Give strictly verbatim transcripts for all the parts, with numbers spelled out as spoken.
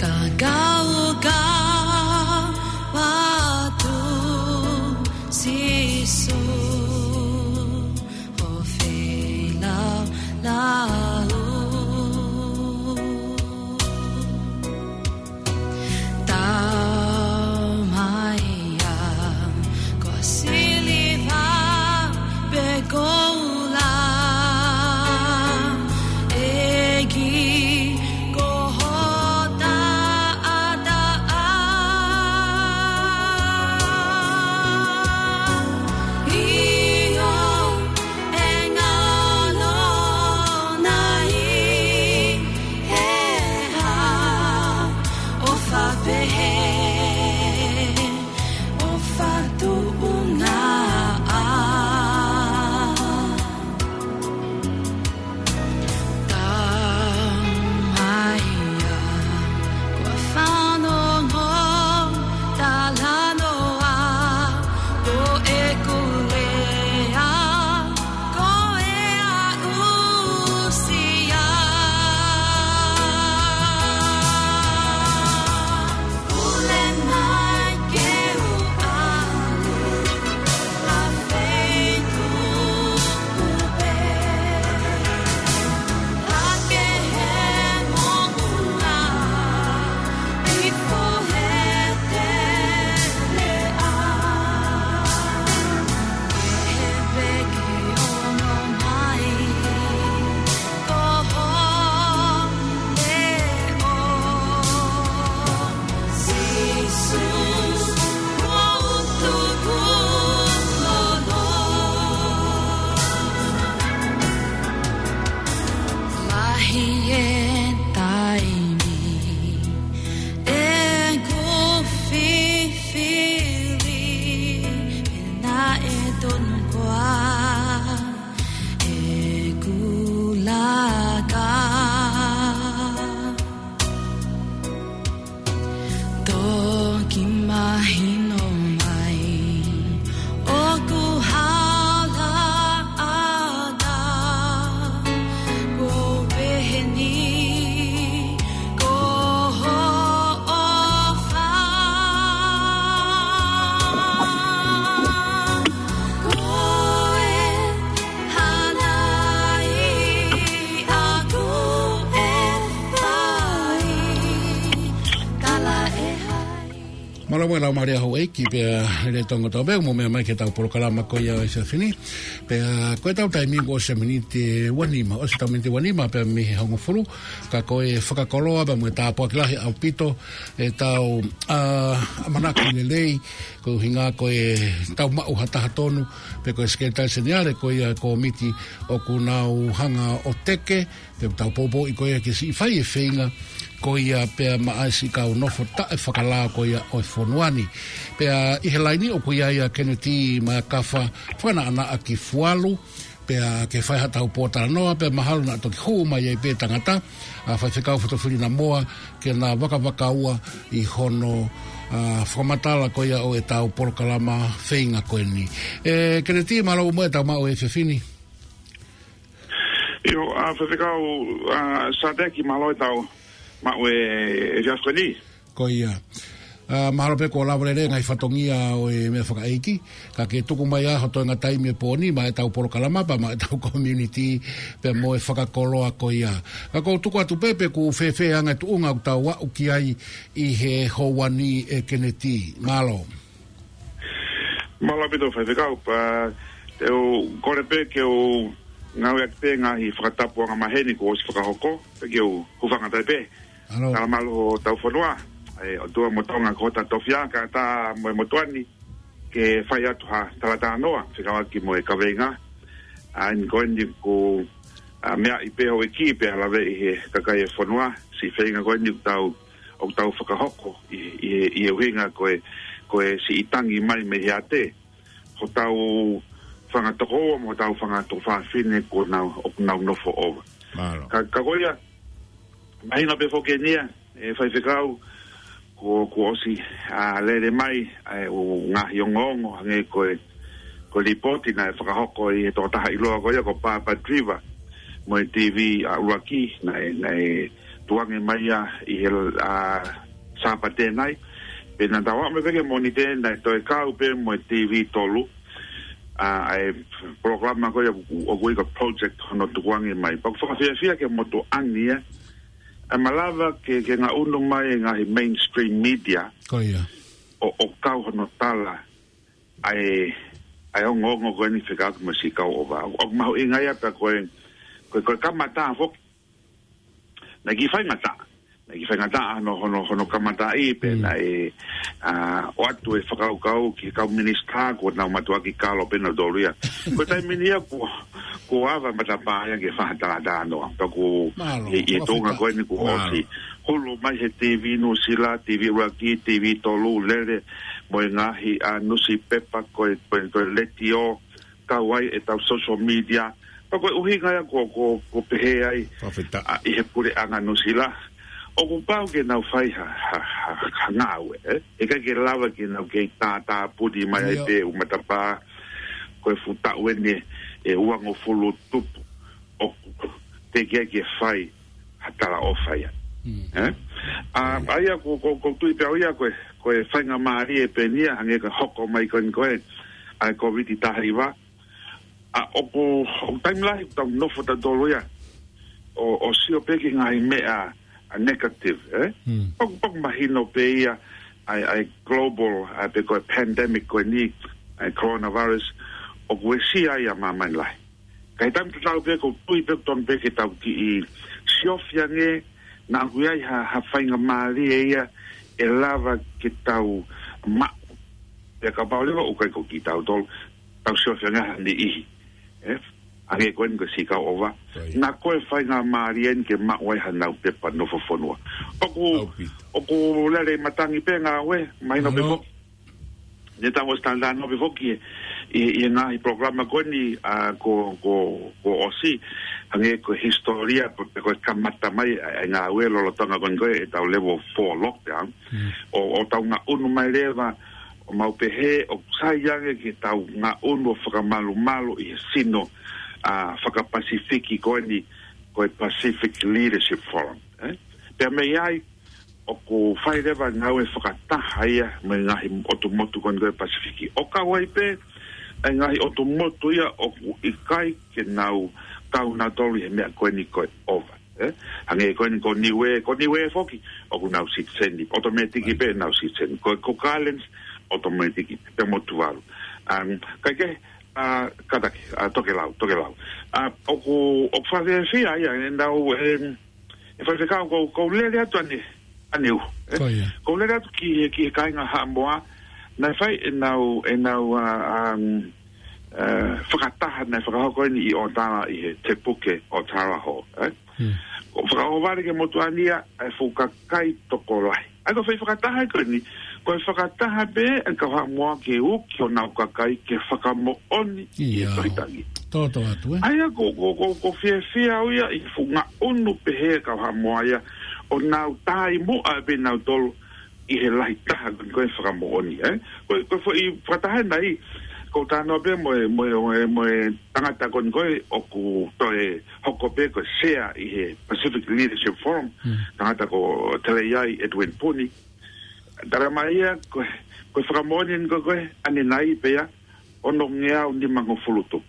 Ka kau ka watu Sīsū ʻo feilaulau. Tau mai ia ko siliva pe koula, ʻEiki ko ho taʻataʻa. ʻIo, ʻe ngalo nai he hā ʻofa pehē, ʻofa tuʻunga ʻa. Tau mai ia ko e fanongo talanoa, ko ʻeku lea ko e aʻusia. Pule mai ke u ʻalu ʻa feituʻu pē, hake he moʻunga ʻi he teleʻa. Kehe pē ke ono mai ko ho leʻo, Sīsū, ʻoku ou tukulolo. Lahi e taimi ʻeku fifili, pea naʻe tonu koā ʻeku laka. Toki mahino mai ʻoku hala ʻa e tau, ko pehē ni ko ho ʻofa. Ko e hana ʻi ʻaku e fai, kala e hai. Mālō mo e laumālie houʻeiki pea lele tongo tau pē mo meʻa mai ki heʻetau polokalama ko ia ʻo e efiafi ni. Pea ko ʻetau taimi kuo ʻosi e miniti ʻe uanima, ʻosi ʻetau miniti ʻe uanima pea mei he hongofulu. Ka ko e fakakoloa pea mo e tāpuaki lahi ʻaupito ʻetau, ʻa, ʻamanaki lelei, ko e ʻuhinga ko ʻetau maʻu ha taha tonu, pe ko e sekelitali seniale ko ia e kōmiti ʻoku nau hanga ʻo teke, pea tau poupouʻi ko ia ke siʻi fai e feinga ko ia pea maʻa e siʻi kau nofo taʻefakalao ko ia ʻo e fonua ni. Pea ʻi he laini ʻoku ʻi ai ʻa Keneti Makafa, fakaʻanaʻanaʻa ki Fualu, pea ke fai haʻatau pōtalanoa, pea mahalo naʻa toki hū mai ai pē tangata, ʻa Faifekau Fotofili Namoa, ke na vakavakaua ʻi hono, ʻa, fakamatala ko ia ʻo ʻetau polokalama feinga ko eni. ʻE, Keneti, mālō mo e tau maʻu e efiafi ni. ʻIo, ʻa, Faifekau, ʻa, Sadeki, mālō e tau maʻu e efiafi ni. Ko ia. ʻA, mahalo pē kuo lava lelei e ngaahi fatongia ʻo e meʻa fakaʻeiki, ka ke tuku mai ʻa hoʻo toenga taimi he pō ni maʻa ʻetau polokalama pea maʻa ʻetau community pea mo e fakakoloa ko ia. Ka ʻoku ou tuku atu pē pe ʻoku fēfē ʻa e anga e tuʻunga ʻoku tau aʻu ki ai ʻi he houa ni, ʻe Keneti. Mālō. Mālō ʻaupito Faifekau, pea te u kole pē ke u ngāueʻaki pē ngaahi fakatapu angamaheni kuo ʻosi fakahoko, pea ke u hūfanga atu ai pē. Mālō. Tala mālō hotau fonua, ʻe ʻOtua mo Tonga ko hota tofiʻa, kae ʻatā mo e motuʻa ni ke fai atu ha talatalanoa fekauʻaki mo e kaveinga. ʻA eni ko eni ʻoku, ʻa, meaʻi pē houʻeiki pea laveʻi he kakai e fonua, siʻi feinga ko eni ʻoku tau ʻoku tau fakahoko ʻi, ʻi, ʻi he ʻuhinga ko e, ko e siʻi tangi mai mei he ʻiate hotau fanga tokoua mo hotau fanga tuofāfine ʻoku nau, ʻoku nau nofo ʻova. Mālō. Ka, ka ko ia, mahino pē foki eni ia, ʻe Faifekau, kuo, kuo ʻosi, ʻa, lele mai, ʻa e, ʻū ngaahi ongoongo, hangē ko e, ko e lipooti naʻe fakahoko ʻe he tokotaha ʻiloa ko ia ko Papa Driver, mo e TV ʻa ʻUluaki, naʻe, naʻe tukuange mai ia ʻi he, ʻa, Sāpate nai. Pea naʻa tau aʻu mai pē ki he Mōnite, naʻe toe kau pē mo e TV tolu. ʻA, ʻa e polokalama ko ia ʻoku, ʻoku ui ko e project hono tukuange mai. Pea ʻoku fakafiefia ki he motuʻa ni ia. ʻE malava ke, ke ngaʻunu mai e ngaahi mainstream media. Ko ia. ʻO, ʻo kau hono tala ʻa e, ʻa e ongoongo ko eni fekauʻaki mo e Sea Cow Ova. ʻOku, ʻoku mahuʻinga ia pea ko e, ko e, ko e kamata foki. Naʻe kiʻi faingataʻa. Naʻe kiʻi faingataʻa hono, hono, hono kamataʻi pē Mm. naʻe, ʻa, ʻoatu e fakakaukau ki he kau minisitā kuo nau mātuʻaki kalo pē nautolu ia. Ko e taimi ni ia kuo, kuo ava matapā ia ke fai ha talatalanoa. Pea kuo Mālō, ʻi, ʻi he tuʻunga fakafetaʻi. ko eni kuo Mālō. ʻosi. Hulu mai he TV Nuʻusila, TV ʻUluaki, TV tolu, lele, mo e ngaahi, ʻa, nusipepa, ko e, ko e, ko e letiō, kau ai ʻetau social media. Pea ko e ʻuhinga ia ko, ko, ko pehē ai, Fakafetaʻi. ʻa, ʻi he puleʻanga Nuʻusila. ʻOku pau ke nau fai ha, ha, ha, ha ngāue, ē? ʻIkai ke lava ke nau kei tātāpuni mai ai Ia. pē ʻū matapā, ko e fuʻu taʻu eni ʻe uangofulu tupu. ʻOku teʻeki ai ke fai ha talaʻofa ia. Mm. Ē? ʻA, ʻa ia ko, ko, ko tui pē au ia ko e, ko e faingamālie pē eni ia hangē ko e hoko mai ko eni ko e, ʻa e Kōviti taha hiva. ʻA, ʻoku, ʻoku taimi lahi ʻoku tau nofo tautolu ia. ʻO, ʻo sio pē ki he ngaahi meʻa, ʻa, negative, ē? Mm. ʻOku, ʻoku mahino pē ia, ʻa e, ʻa e global, ʻa e pē ko e pandemic ko eni, ʻa e coronavirus, ʻoku uesia ia ʻa māmani lahi. Ka ʻi he taimi tatau pē, ʻoku ou tui pē ʻoku totonu pē ke tau kiʻi siofi ange, naʻa ʻoku ʻi ai ha, ha faingamālie ia ʻe lava ke tau maʻu. Pea kapau leva ʻoku ʻikai ko kitautolu, tau siofi ange ha niʻihi. Ē? Hangē ko eni ko e Sea Cow Ova. Right. Naʻa ko e faingamālie eni ke maʻu ai hanau pepa nofo fonua. ʻOku, ʻOku pito. ʻoku lele matangi pē ngāue, mahino pē No. foki. Ne tau ʻosi talanoa pē foki ʻi, ʻi, ʻi he ngaahi polokalama ko eni, ʻa, ko, ko, ko ʻosi, hangē ko e hisitōlia, pe, pe ko e kamata mai, ʻa, ʻa e ngāue lolotonga ko eni ko e, ʻetau level four lockdown. Mm. ʻO, ʻo tau ngaʻunu mai leva, ʻo mau pehē, ʻoku sai ange ke tau ngaʻunu ʻo fakamalumalu ʻi he sino, ʻa, faka-Pasifiki ko eni, ko e Pacific Leadership Forum, ē? Pea mei ai, ʻoku fai leva ngāue fakataha ia mo e ngaahi ʻotu motu ko eni ko e Pasifiki. ʻO kau ai pē, ʻa e ngaahi ʻotu motu ia ʻoku ʻikai ke nau kau nautolu ʻi he meʻa ko eni ko e ova. Ē? Hangē ko eni ko Niuē, ko Niuē foki, ʻoku nau citizen, ʻotometiki pē nau citizen. Ko, ko Cook Islands, ʻotometiki, pea mo Tuvalu. Um, kae kehe, ʻa, kātaki, ʻa, Tokelau, Tokelau. ʻA, ʻoku, ʻoku fakafiefia ia, ʻe nau, em, ʻe Faifekau, ʻoku ou, ʻoku ou lele atu ʻaneuhu, ē? Ko ia. ʻOku ou lele atu ki he, ki he kāinga Haʻamoa, naʻe fai ʻenau, ʻenau, ʻa, um, ʻa, fakataha, naʻe fakahoko eni ʻi ʻOtara ʻi he Te Puke ʻOtara Hall, ē? Hmm. ʻOku fakaʻohovale ki he motuʻa ni ia, ʻa e fuʻu kakai tokolahi. ʻA ia ko e foʻi fakataha ko eni, ko e fakataha pē ʻa e kau Haʻamoa ke uki honau kakai ke fakamoʻoni ʻi he Ia. tohi tangi. Toto atu, ē? ʻA ia ko, ko, ko, ʻoku ou fiefia au ia ʻi he fuʻu ngaʻunu pehē ʻa e kau Haʻamoa ia, ʻo nau tāimuʻa pē nautolu ʻi he lahi taha ko eni ko e fakamoʻoni, ē? Ko, ko e foʻi fakataha nai, ʻoku ou talanoa pē mo e, mo e, mo e, mo e tangata ko eni ko e ʻoku toe hoko pē ko e sea ʻi he Pacific Leadership Forum, Hmm. tangata ko Teleiai Edwin Puni. Tala mai ia, ko, ko e fakamoʻoni eni ko, ko e, ʻanenai pē ia, onongeau nimangofulu tupu.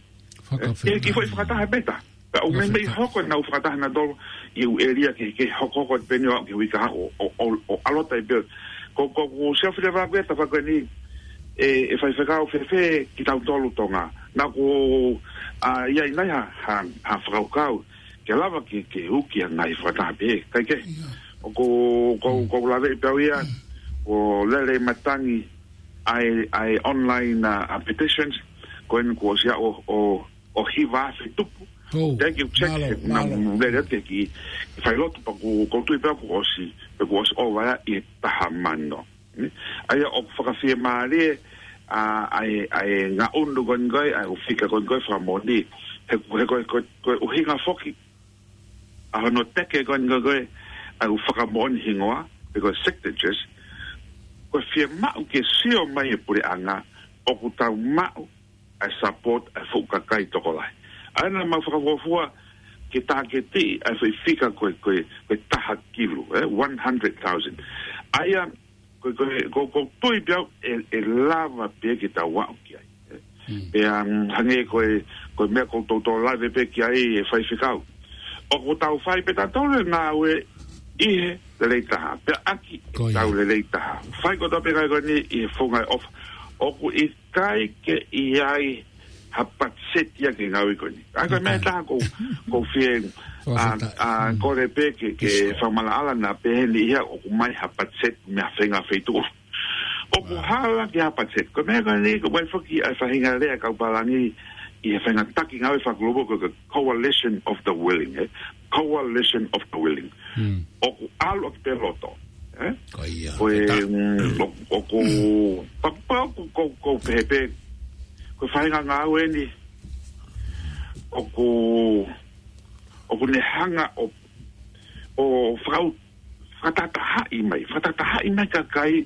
Fakafetaʻi. Ē, kiʻi foʻi fakataha pē ta. Ka ʻoku meimei Fakafetaʻi. hoko ʻenau fakataha nautolu ʻi he ʻū ʻēlia kehekehe, hokohoko pē eni ʻo aʻu ki he uike ʻaho, ʻo, ʻo, ʻo ʻalu atu ai pē. Ko, ko, ʻoku ou siofi leva ʻa e tafaʻaki ko eni, ʻe, ʻe Faifekau, fēfē kitautolu Tonga. Naʻa ʻoku, ʻa, ʻi ai nai ha, ha, ha fakakaukau ke lava ke, ke uki ʻa e ngaahi fakataha pehē, kae kehe. Ia. ʻOku, ʻoku, Mm. ʻoku ou laveʻi pē au ia, Mm. ʻoku lele matangi ʻa e, ʻa e online, ʻa, ʻa petitions, ko eni kuo ʻosi ʻo, ʻo, ʻo hiva afe tupu. Oh, Thank you, check. mālō, Naʻa mālō. mou lele atu ki, ki he failotu pea ʻoku, ʻoku ou tui pē ʻoku ʻosi, pea kuo ʻosi ova ia ʻi he taha mano. Nē? ʻA ia ʻoku fakafiemālie, ʻa, ʻa e, ʻa e ngaʻunu ko eni ko e, ʻa e ʻū fika ko eni ko e fakamoʻoni. He, he ko e, ko e, ko e ʻuhinga foki ʻa hono teke ko eni ko e, ko e, ʻa e ʻū fakamoʻoni hingoa, pe ko e signatures, ko e fiemaʻu ke sio mai e puleʻanga, ʻoku tau maʻu ʻa e support ʻa e fuʻu kakai tokolahi. ʻA ia naʻa mau fakafuofua, ke tāketiʻi ʻa e foʻi fika ko e, ko e, ko e taha kilu, ē, one hundred thousand. ʻA ia, ko, ko, ko, ko tui pē au ʻe, ʻe lava pē ke tau aʻu ki ai, ē. Pea, mm, hangē ko e, ko e meʻa ko ʻetau toe lave pē ki ai ʻe faifekau. ʻOku tau fai pē tautolu e ngāue ʻi he lelei taha. Pea ʻaki ʻetau lelei taha. Fai kotoa pē ngāue ko eni ʻi he funga e ʻofa. ʻOku ʻikai ke ʻi ai ha patiseti ia ki he ngāue ko eni. ʻA ia ko e meʻa ʻe taha ʻoku, ʻoku ou fie, ʻa, ʻa, kole pē ke, ke fakamaʻalaʻala naʻa pehē ni ia ʻoku ʻomai ha patiseti mei ha feinga feituʻu. ʻOku hala ke ʻi ai ha patiseti. Ko e meʻa ko eni, ko e ʻai foki ʻa e faʻahinga lea kau pālangi ʻi he faʻahinga taki ngāue fakakulupu ko e coalition of the willing, ē? Coalition of the willing. ʻOku ʻalu ʻaki pē loto, ē? Ko ia. Ko e, mm, ʻo-, ʻoku, pea, pea ʻoku, ʻoku, ʻoku pehē pē, ko e faʻahinga ngāue eni, ʻoku, ʻoku ne hanga ʻo, ʻo fakau-, fakatahatahaʻi mai, fakatahatahaʻi mai kakai,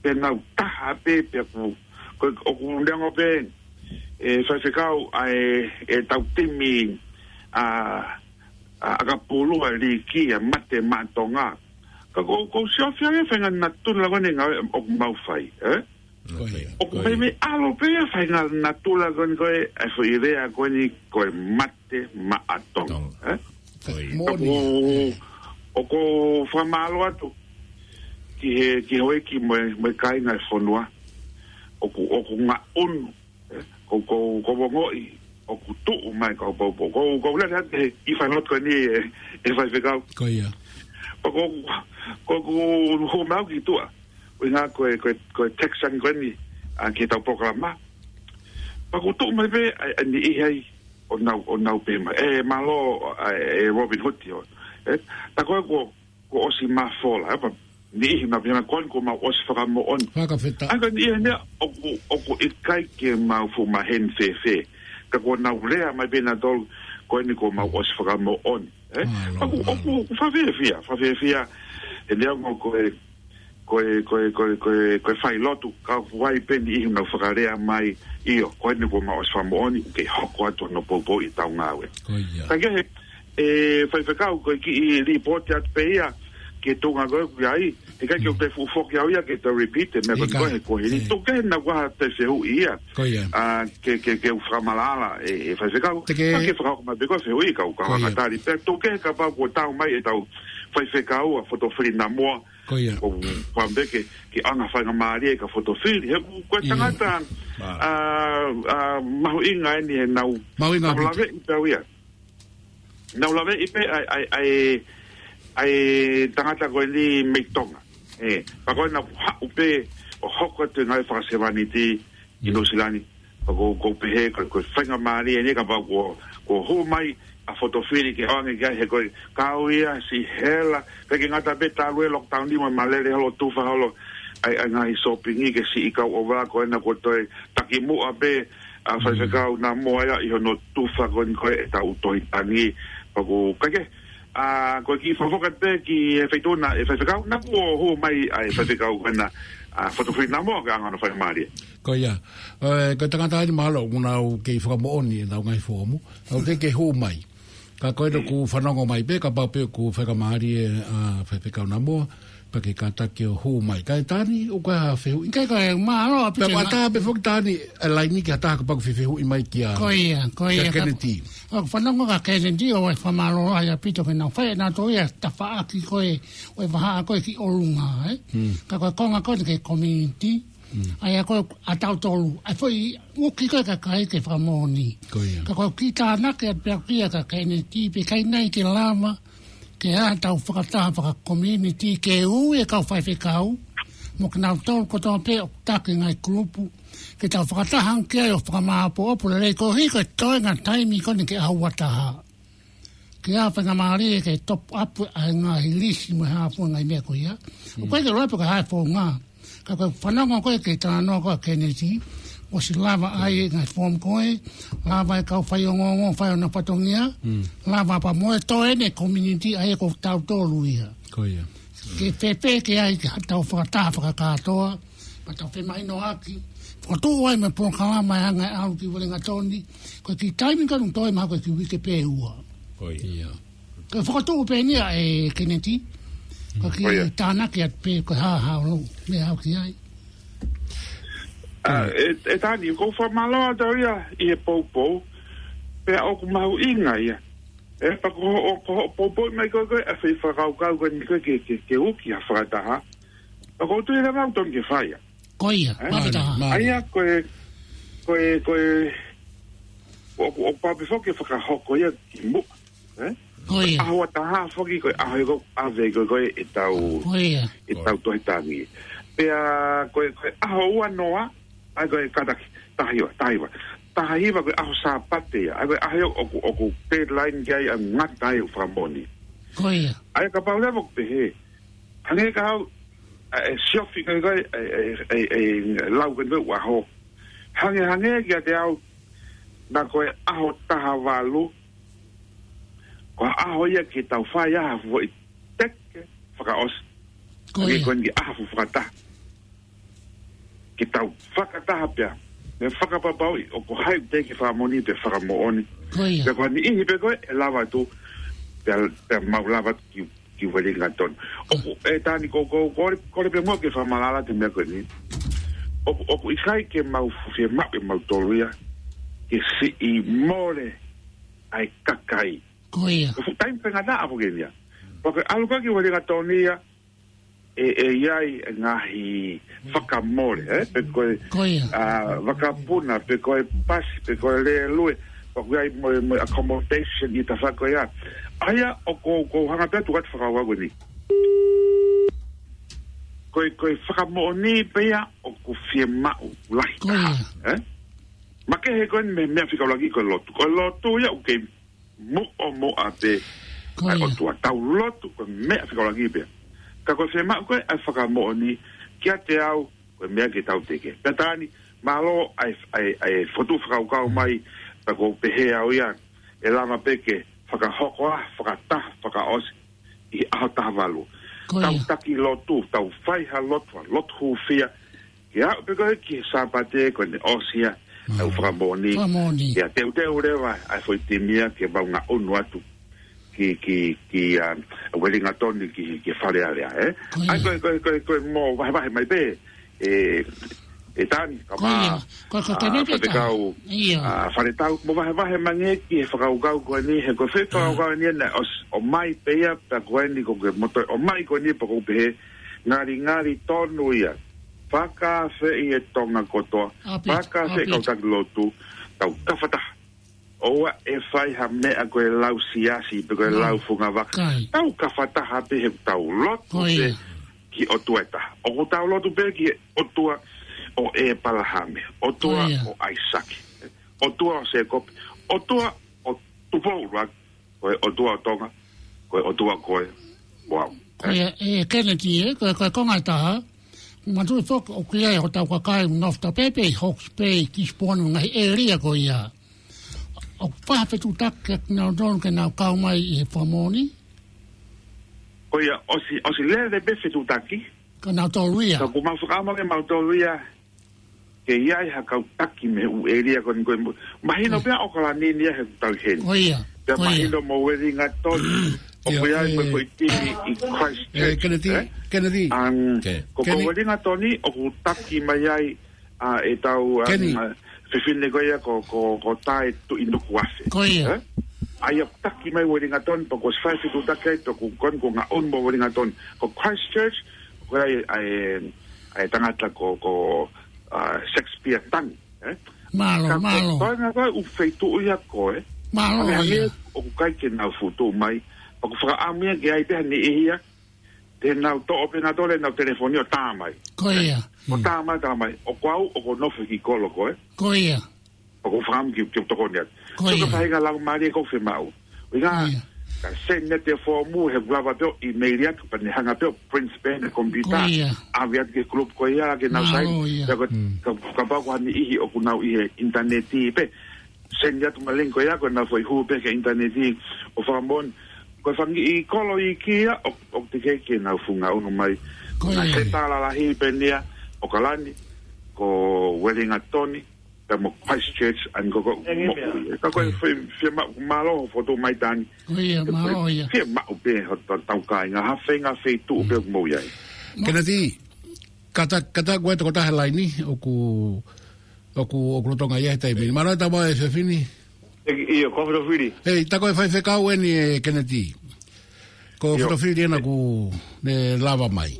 pea nau taha pē, pea ʻoku, ko, ʻoku neongo pē, ʻe faifekau ʻa e, ʻetau timi, ʻa, ʻa, ʻakapulu ʻa e liiki ʻa Mate Maʻa Tonga. Ka ʻoku, ʻoku ou sio ʻoku ʻi ai e faʻahinga natula ko eni ngāue ʻoku mau fai, ē? Ko ia, ʻoku meimei ʻalu pē ia faʻahinga natula ko eni ko e, ʻa e foʻi lea ko eni ko e Mate Maʻa Tonga, ē? Ko ia. Moʻoni. ʻOku, ʻoku ou fakamālō atu ki he, ki he houʻeiki mo e, mo e kāinga e fonua. ʻOku, ʻoku ngaʻunu, ē? Ko, ko, ʻoku ou ongoʻi ʻoku tuʻu mai kau poupou. Ko, ko lele atu he ʻi fai lotu ko eni ʻe, ʻe faifekau. Ko ia. Ko, ko, ko, ko hū mai au ki tuʻa. ʻUhinga ko e, ko e, ko e text ange ko eni, ʻa, ki heʻetau polokalama. Pea ʻoku tuʻu mai pē, ʻa, ʻa e niʻihi ai, ʻo nau, ʻo nau pehē mai. ʻE, mālō, ʻa, ʻe Robin Hood ʻio. Ē, tā ko ē kuo, kuo ʻosi mafola, ē, pea niʻihi nau pehē mai ko eni kuo mau ʻosi fakamoʻoni. Fakafetaʻi. ʻA ia ko e niʻihi eni ia, ʻoku, ʻoku ʻikai ke mau fuʻu maheni fēfē. Ka kuo nau lea mai pē nautolu, ko eni kuo mau ʻosi fakamoʻoni. Ē? Mālō, mālō. ʻOku, ʻoku, ʻoku fakafiefia, fakafiefia, ʻe neongo ko e, ko e, ko e, ko e, ko e, ko e fai lotu, ka ʻoku ʻi ai pē niʻihi nau fakalea mai, ʻio, ko eni kuo mau ʻosi fakamoʻoni, ʻoku kei hoko atu hono poupou ʻi heʻetau ngāue. Ko ia. Ka kehe, ʻe faifekau ko e kiʻi lipooti atu pē ia, ki he tuʻunga ko ē ʻoku ʻi ai, ʻikai ke u toe fuʻu foki au ia ke toe repeat e meʻa ko eni ko ē he kuohili. Tuku kehe naʻa ku ʻai ha toe fehuʻi ia. Ko ia. ʻA, ke, ke, ke u fakamaʻalaʻala ʻe, ʻe faifekau. Te ke fakahoko mai pē ko e fehuʻi kau, kau fakatali. Pea tuku kehe kapau kuo tau mai ʻetau faifekau ʻa Fotofili Namoa. Ko ia. Ko u fakaʻamu pē ke, ke ʻoange ha faingamālie kia Fotofili. He ko e tangata, ʻa, ʻa, mahuʻinga eni he nau, mahuʻinga nau laveʻi pē au ia. Nau laveʻi pē ʻa e, ʻa e, ʻa e, ʻa e tangata ko eni mei Tonga. Ē, pea ko ē naʻa ku haʻu pē ʻo hoko atu e ngāue fakasevāniti ʻi Nuʻusila ni. Pea ko u, ko u pehē ko e, ko e faingamālie eni kapau kuo, kuo hū mai ʻa Fotofili ke ʻoange ki ai he ko e kau ia siʻi hela. Pea ʻikai ke ngata pē talu e lockdown ni mo e malele holo tufa holo ʻa e, ʻa e ngaahi sōpingi ke siʻi kau ʻova ko ena kuo toe takimuʻa pē ʻa faifekau Namoa ia ʻi hono tufa ko eni ko e ʻetau tohi tangi. Pea ko u, ka ke, ʻa, ko e kiʻi fakafoki pē ki he feituʻu na ʻe faifekau, naʻa kuo hū mai ʻa e faifekau ko ena, ʻa, Fotofili Namoa ke ʻoange hono faingamālie. Ko ia, ē, ko e tangata eni mahalo ʻoku nau kei fakamoʻoni ʻenau ngaahi foomu, ʻoku kei, kei hū mai. Ka ko ena ʻoku fanongo mai pē, kapau pē ʻoku faingamālie ʻa faifekau Namoa, pea ke kātaki ʻo hū mai. Kae Tani, ʻoku ʻi ai ha fehuʻi? ʻIkai ko e mālō ʻaupito. Pea ʻoku ʻatā pē foki Tani, ʻa e laini ki ha taha kapau ʻoku fie fehuʻi mai kia, ko ia, ko ia, kia Keneti. ʻOku fanongo kia Keneti ʻo e fakamālō ai ʻaupito ke nau fai ʻenautolu ia tafaʻaki ko ē, ʻo e vahaʻa ko ē ki ʻolunga, ē? Ka ko e konga ko ē ki he community, ʻa ia ko ē ʻa tautolu, ʻa e foʻi ʻuki ko ē kakai ke fakamoʻoni. Ko ia. Ka ko e kiʻi tānaki atu pē ʻaku ia kia Keneti, pe ʻikai nai ke lava, ke ʻai haʻatau fakataha fakakomiunitī ke ui e kau faifekau, mo kinautolu kotoa pē ʻoku taki ngaahi kulupu, ke tau fakataha ange ki ai ʻo fakamāʻopoʻopo lelei koeʻuhi ko e toenga taimi ko eni ke ʻaho ua taha. Ke ʻai ha faingamālie ke top up ʻa e ngaahi lisi mo e hā fua ngaahi meʻa ko ia. ʻOku ʻikai ke lava pē ka ʻai founga. Ka ko e fanongo ko ē ki he talanoa ko ē ʻa Keneti, ʻosi lava ʻa e ngaahi foomu ko ē, lava e kau faiongoongo fai ʻenau fatongia, lava pea mo e toe eni e community ʻa ia ko tautolu ia. Ko ia. Ke fēfē ke ʻai ke tau fakataha fakakātoa, pea tau femahinoʻaki, fokotuʻu ai mo e polokalama ʻe hanga ʻe ʻalu ki Uelingatoni, ko e kiʻi taimi ka nau toe mahalo ko e kiʻi uike pē ʻe ua. Ko ia. Ia. Ko e fokotuʻu pē eni ia ʻe Keneti. Ko e kiʻi tānaki atu pē ko e hā haʻo lau. Meʻa au ki ai. ʻA, ʻe, ʻe Tani, ʻoku ou fakamālō atu au ia ʻi he poupou. Pea ʻoku mahuʻinga ia. ʻE, pea ko hoʻo, ko hoʻo poupou mai ko ē, ko e, ʻa e foʻi fakakaukau ko eni ko ē ke, ke, ke uki ha fakataha. Pea ʻoku ou tui leva ʻoku totonu ke fai ia. Ko ia, ʻE? Mālie, fakataha. mālie. ʻA ia, ko e, ko e, ko e, ʻoku, ʻoku pau pē foki ke fakahoko ia ki muʻa. ʻE? Ko ia. ʻAho ua taha foki ko e ʻaho ia ʻoku ʻave ko ē, ko ē ʻetau, Ko ia. ʻetau tohi tangi. Pea ko e, ko e ʻaho ua noa, ʻa ia ko e kātaki, taha hiva, taha hiva. Taha hiva ko e ʻaho Sāpate ia, ʻa ia ko e ʻaho ia ʻoku, ʻoku deadline ki ai ʻa e ngata ai ʻo e fakamoʻoni. Ko ia. ʻA ia kapau leva ʻoku pehē, hangē ka au, ʻa e siofi ko ē, ko ē, ʻe, ʻe, ʻe, ʻe lau ko ē ʻa e ʻaho. Hangē, hangē kiate au, naʻa ko e ʻaho taha valu, ko e ʻaho ia ke tau fai ai ha foʻi teke fakaʻosi. Ko Hangē ia. ko eni ki he ʻaho fakataha. Ke tau fakataha pea. Meʻa fakapapauʻi, ʻoku ʻi ai ha teke fakamoʻoni pe fakamoʻoni. Ko ia. Pea ko e niʻihi pē ko ē, ʻe lava atu, pea, pea mau lava atu ki, ki Uelingatoni. ʻOku, ʻe Tani ko, ko, ko, kole pē muʻa ke fakamatala atu e meʻa ko eni. ʻOku, ʻoku ʻikai ke mau fiemaʻu ʻe mautolu ia, ke siʻi mole ʻa e kakai. Ko ia. Ko e fuʻu taimi faingataʻa foki eni ia. Pea ko e ʻalu ko ē ki Uelingatoni ia, ʻe, ʻe ʻi ai e ngaahi fakamole, ʻe? Pe ko e, Ko ia. ʻa, vakapuna, pe ko e pasi, pe ko e lēlue, pea ʻoku ʻi ai mo, mo e accommodation ʻi he tafaʻaki ko ia. ʻA ia ʻoku ou, ʻoku ou hanga pē ʻo tuku atu e fakakaukau ko eni. Ko e, ko e fakamoʻoni pē ia ʻoku fiemaʻu lahi Ko taha, ia. ʻe? Makehe ko eni mei he meʻa fika ʻuluaki ko e lotu. Ko e lotu ia ʻoku kei muʻomuʻa pē Ko ʻa e ia. ʻOtua. Tau lotu ko e meʻa fika ʻuluaki pē. Ka ko e fiemaʻu ko ē ʻa e fakamoʻoni kiate au ko e meʻa ke tau teke. Pea Tani, mālō ʻa e, ʻa e, ʻa e fokotuʻu fakakaukau mai, pea ʻoku ou pehē au ia, ʻe lava pē ke fakahoko ha fakataha fakaʻosi ʻi he ʻaho taha valu. Ko Tau ia. taki lotu, tau fai ha lotu, ha lotu hūfia, ke aʻu pē ko ē ki he Sāpate ko eni ʻosi ia, ʻa e Mm. fakamoʻoni. Fakamoʻoni. Ia teuteu leva ʻa e foʻi timi ia ke mau ngaʻunu atu ki, ki, ki, ʻa, Uelingatoni ki, ki Fale Alea, ʻe? Ko ʻA ia. ko e, ko e, ko e, ko e mo vahevahe mai pē, ʻe, ʻe Tani, ka Ko ia. mā, Ko, ko, ko ʻa, Keneti Faifekau, Ia. ʻa, Faletau, mo vahevahe mai ange ki he fakakaukau ko eni, he ko e fai Mm. fakakaukau eni naʻe ʻos-, ʻomai pē ia, pea ko eni ko e moto, ʻomai ko eni pea ʻoku ou pehē, ngalingali tonu ia. Fakaafeʻi e Tonga kotoa. ʻAupito, Fakaafeʻi ʻaupito. kau taki lotu. Tau kafataha. ʻOua ʻe fai ha meʻa ko e lau siasi, pe ko e No. lau fungavaka. Kai. Tau kafataha pē he tau lotu Ko pē ia. ki he ʻOtua ʻe taha. ʻOku tau lotu pē ki he ʻOtua ʻo ʻĒpalahame. ʻOtua Ko ia. ʻo ʻAisake. ʻOtua ʻo Sēkope. ʻOtua ʻo Tupou ʻUluaki. Ko e ʻOtua ʻo Tonga, ko e ʻOtua ko ē ʻo au. Ko ia, ʻe Keneti, ʻe, ko e, ko e konga ʻe taha, manatuʻi foki ʻoku ʻi ai hotau kakai ʻoku nofo atu pē ʻi Hawke's Bay, Gisborne, ngaahi ʻēlia ko ia. ʻOku pau ha fetuʻutaki kiate kinautolu ke nau kau mai ʻi he fakamoʻoni? Ko ia, ʻosi, ʻosi lele pē fetuʻutaki. Ka nautolu ia. Ka ʻoku mau fakaʻamu ke mautolu ia, ke ʻi ai ha kau taki mei he ʻū ʻēlia ko eni ko e mo-, mahino Ko ia. pē ʻa ʻAokalani ni ia he tau heni. Ko ia. Pea Ko ia. mahino mo Uelingatoni, ʻoku ʻi ai mo e foʻi timi ʻi Christchurch, ʻe, Keneti, ʻe? Keneti. ʻAng, Ke. ko, ko Keni. Uelingatoni, ʻoku taki mai ai, ʻa, ʻetau, ʻa, Keni. ʻa, fefine ko ia ko, ko, ko Tae Tuʻinukuafe. Ko ia. ʻE? ʻA ia ʻoku taki mai Uelingatoni, pea kuo ʻosi fai fetuʻutaki ai, pea ʻoku, ko eni kuo ngaʻunu mo Uelingatoni. Ko Christchurch, ko ia ʻa e, ʻa e tangata ko, ko, ʻa, Shakespeare Tangi, ʻe? Mālō, Ka ko mālō. e toenga ko ē ʻū feituʻu ia ko ē. Mālō Hangē, hangē ia. ʻoku ʻikai ke nau futu mai. ʻOku fakaʻamu ia ke ʻi ai pē ha niʻihi ia. Te nau toʻo pē nautolu ʻenau telefoni ʻo tā mai. Ko ia. ʻO tā mai, tā mai. ʻOku ou, ʻoku ou nofo ki kolo ko ē. Ko ia. ʻOku ou fakaʻamu ke, ke tokoni atu. Ko ia. Sio ki he faʻahinga laumālie ʻoku ou fiemaʻu. ʻUhinga, Ko ia. ka send atu e foomu he ʻoku lava pē ʻo email atu pea ne hanga pē ʻo print pē he computer. Ko ia. ʻAve atu ki he group ko ia ke nau Mālō saini. ia. Pea ko, Mm. ka, kapau ko ha niʻihi ʻoku nau ʻi he ʻinitaneti pē. Send atu mo e link ko ia ko ʻenau foʻi hū pē ki he ʻinitaneti ʻo fakamoʻoni. Ko e fanga kiʻi kolo iiki ia ʻo, ʻoku teʻeki ke nau fuʻu ngaʻunu mai. Ko Ngaahi ia. senitā lalahi pē eni ia, ʻAokalani, ko Uelingatoni, pea mo Christchurch, ʻa eni ko ʻeku moʻui. Ka ko e fie, fiemaʻu, mālō fokotuʻu mai Tani. Ko ia, mālō ia. Fiemaʻu pē hotau kāinga, ha feinga feituʻu pē ʻoku mou ʻi ai. Keneti, kātaki, kātaki ʻa e tokotaha he laini, ʻoku, ʻoku, ʻoku lolotonga ia he taimi ni. Mālō e tama e Fiafini. ʻIo, ko Fotofili. Hei, tā ko e faifekau eni e Keneti. Ko Fotofili ena ʻoku ne lava mai.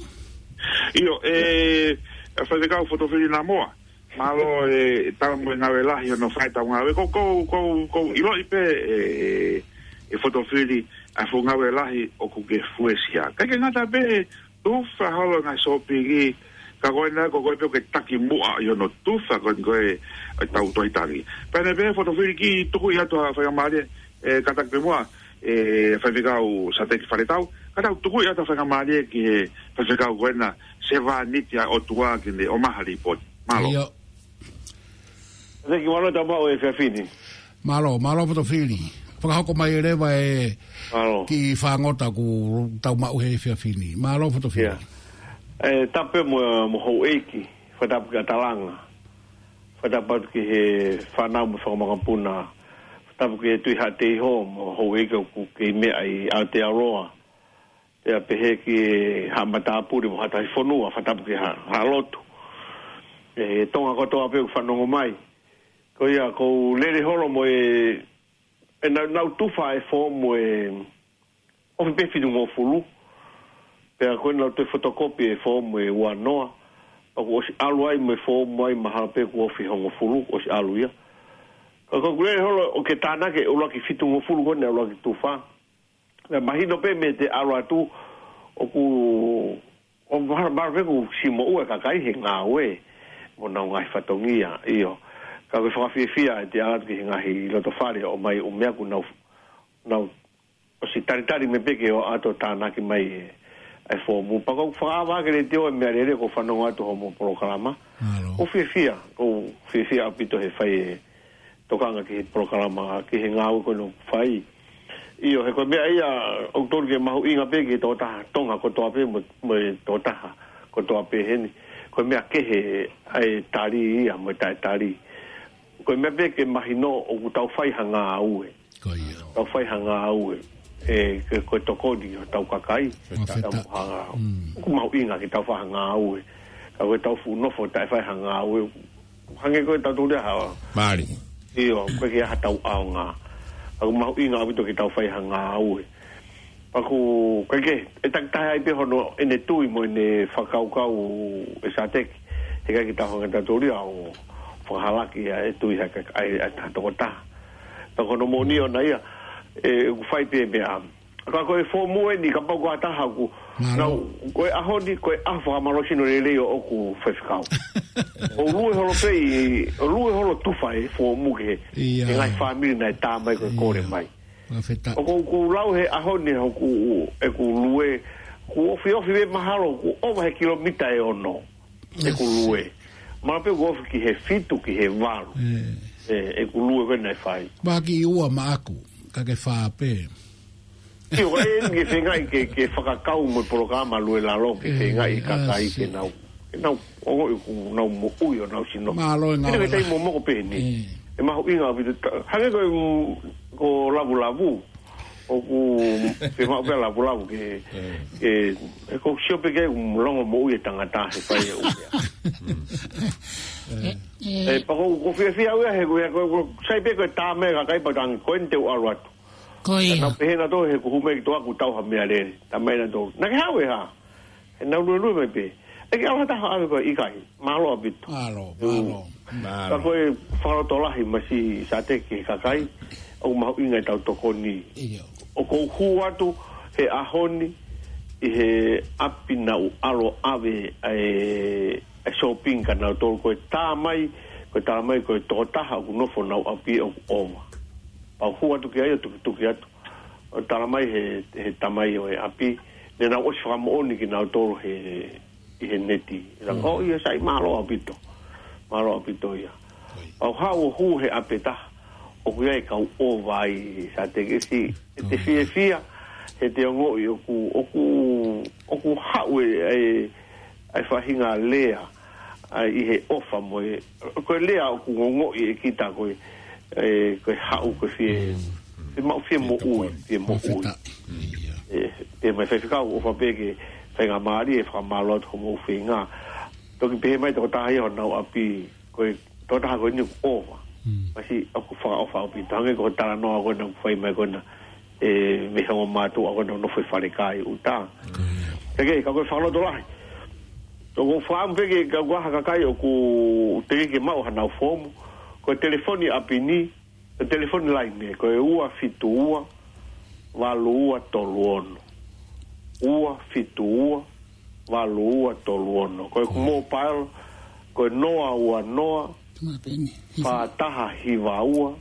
ʻIo, e, faifekau Fotofili Namoa. Mālō e tau mo e ngāue lahi hono fai tau ngāue. Ko, ko, ko, ko ʻiloʻi pē e, e, e Fotofili ʻa e fuʻu ngāue lahi ʻoku ke fuesia. Kae ke ngata pē, tufa holo ngaahi sōpingi, ka ko ena ko koe pē ʻoku ke taki muʻa ʻi hono tufa ko eni ko e, e tau tohi tangi. Pea ne pē Fotofili kiʻi tuku atu ha faingamālie, e, kātaki pē muʻa, e, faifekau Sateki Faletau, ka tau tuku atu ha faingamālie ki he faifekau ko ena, sevāniti ʻa e ʻOtua ke ne ʻomai ha līpooti. Mālō. ʻIo. Thank you, mālō tau maʻu e Fiafini. Mālō, mālō Fotofili. Fakahoko mai e leva e kiʻi fāngota ʻoku tau maʻu he Fiafini. Mālō Fotofili. E, tapu mo, mo houʻeiki, fakatapu ki ʻAtalanga. Fakatapu atu ki he fānau mo fanga makapuna. Fakatapu ki he Tui Haʻateiho mo houʻeiki ʻoku kei meʻa ʻi Aotearoa. Pea pehē ki Haʻa Matāpule mo Haʻa Tahi Fonua, fakatapu ki Haʻa, Haʻa Lotu. E, Tonga kotoa pē ʻoku fanongo mai. Ko ia, ʻoku ou lele holo mo e, e nau, nau tufa e foomu e, ʻoku fitu ngofulu. Pea ko ena nau toe fotokopi e foomu e ua noa. Pea kuo ʻosi ʻalu ai mo e foomu ai mahalo pē kuo ʻosi hongofulu, kuo ʻosi ʻalu ia. Ka ʻoku ou lele holo ʻo ke tānaki e ʻuluaki fitu ngofulu ko ena ʻuluaki tufa. Naʻe mahino pē mei he ʻalu atu ʻoku, ʻoku mahalo, mahalo pē ʻoku siʻi moʻua e kakai he ngāue mo honau ngaahi fatongia, ʻio. Ka ʻoku fakafiefia e ʻalu atu ki he ngaahi loto fale ʻo ʻomai ʻū meʻa kuo nau, nau ʻosi talitali mai pē ke ō atu ʻo tānaki mai e, e foomu. Pea ʻoku ou fakaava ke leti ʻo e meʻa lele ʻoku fanongo atu hoʻomo polokalama. ʻOku ou fiefia, ʻoku ou fiefia ʻaupito he fai e tokanga ki he polokalama, ki he ngāue ko ena ʻoku fai. ʻIo, he ko e meʻa ia ʻoku totonu ke mahuʻinga pē ki he tokotaha Tonga kotoa pē mo, mo e tokotaha kotoa pē heni. Ko e meʻa kehe ʻa e tali ia mo e taʻetali. Ko e meʻa pē ke mahino ʻoku tau fai ha ngāue. Ko ia. Tau fai ha ngāue. E, ke, ko e tokoni ʻo tau kakai. Fakafetaʻi. Tau hanga. ʻOku mahuʻinga ke tau fai ha ngāue. Ka ko e tau fuʻu nofo taʻe fai ha ngāue. Hangē ko e tau tuli ha. Mālie. ʻIo, ko e ke ha tau ʻaonga. ʻOku mahuʻinga ʻaupito ke tau fai ha ngāue. Pea ʻoku, ʻikai ke, ʻe takitaha ai pē hono ʻene tui mo ʻene fakakaukau e Sateki. He ʻikai ke tau hanga tau tuli ʻo fakahalaki ʻa e tui ha kakai ʻa e tokotaha. Pea ko hono moʻoni ʻona ia, e, ʻoku fai pē meʻa. Ka ko e foomu eni kapau ko ha taha ʻoku nau, ko e ʻaho ni, ko e ʻaho fakamālohisino lelei ʻo ʻeku faifekau. ʻO lue holo pē ʻi, ʻo lue holo tufa e foomu ki he, ki he ngaahi fāmili naʻe tā mai ko e kole mai. Fakafetaʻi. ʻOku ou, ʻoku ou lau he ʻaho ni ʻoku, ʻeku lue, ʻoku ofiofi pē mahalo, ʻoku ʻova he kilomita ʻe ono ʻeku lue. Mahalo pē ʻoku ofi ki he fitu, ki he valu. E, ʻeku lue ko ena ʻe fai. Mahalo kiʻi ua maʻaku, ka ke fā pē. ʻIo, ʻe eni ke feingaʻi ke, ke fakakau mo e polokalama Lue Lalo, ke feingaʻi e kakai ke nau, ke nau, ʻo, ʻoku nau moʻui ʻo nau sino. Mālō e ngāue lahi. Ina ke tai momoko pē ni. ʻE mahuʻinga ʻaupito, hangē ko e, ko Lavulavu. ʻOku fiemaʻu pē Lavulavu ke, ke, ʻoku ou sio pē ke ʻoku longomoʻui e tangata he fai e ʻū meʻa. E, pea ʻoku ou, ʻoku ou fiefia au ia he, ko e, ko e, ko e, sai pē ko e tā mai e kakai pea tangi, ko eni te u ʻalu atu. Ko ia. Naʻa nau pehē nautolu he kuo hū mai kitautolu ʻoku tau ha meʻa lele. Tā mai nautolu. Naʻa ke haʻu e hā? He nau luelue mai pē. ʻE ke ʻalu ha taha ʻave koe? ʻIkai. Mālō ʻaupito. Mālō, mālō. Ka ko e fakalotolahi mai siʻi Sateki ki he kakai, ʻoku mahuʻinga e tau tokoni. ʻIo. ʻOku ou hū atu he ʻaho ni ʻi he ʻapi naʻa ku ʻalu ʻo ʻave ʻa e, ʻa e shopping kia nautolu, ko e tā mai, ko e tā mai ko e tokotaha ʻoku nofo honau ʻapi ʻoku ʻova. Pea u hū atu ki ai ʻo tukituki atu. ʻO tala mai he, he tamai ʻo e ʻapi, ne nau ʻosi fakamoʻoni kia nautolu he, ʻi he neti. Langa, ʻo ia sai, mālō ʻaupito. Mālō ʻaupito ia. Pea u haʻu ʻo hū he ʻapi ʻe taha, ʻoku ʻi ai e kau ʻova ai, Sateki, ʻe te fiefia, he te ongoʻi ʻoku, ʻoku, ʻoku haʻu e, e, e faʻahinga lea, ʻa ʻi he ʻofa mo e, ko e lea ʻoku ongoʻi ʻe kita ko e, ē, ko e haʻu ko e fie, fie maʻu fie moʻui, fie moʻui. Fakafetaʻi. Ia. Ē, pea mai Faifekau, ʻofa pē ke faingamālie e fakamālō atu homou feinga. Toki pehē mai tokotaha ia honau ʻapi, ko e tokotaha ko eni ʻoku ʻofa. Pasi ʻoku fakaʻofa ʻaupito. Hangē ko e talanoa ko ena ʻoku fai mai ko ena, ē, mei he ongo mātuʻa ko ena ʻoku nofo ʻi Falekai ʻUta. Pea ke, ka ko e fakalotolahi. Toko faam pē ke ka ʻoku ʻi ai ha kakai ʻoku teʻeki ke maʻu hanau foomu. Ko e telefoni ʻapi ni, ko e telefoni laine, ko e ua fitu ua, valu ua tolu ono. Ua fitu ua, valu ua tolu ono. Ko e mobile, ko e noa ua noa, fā taha hiva ua,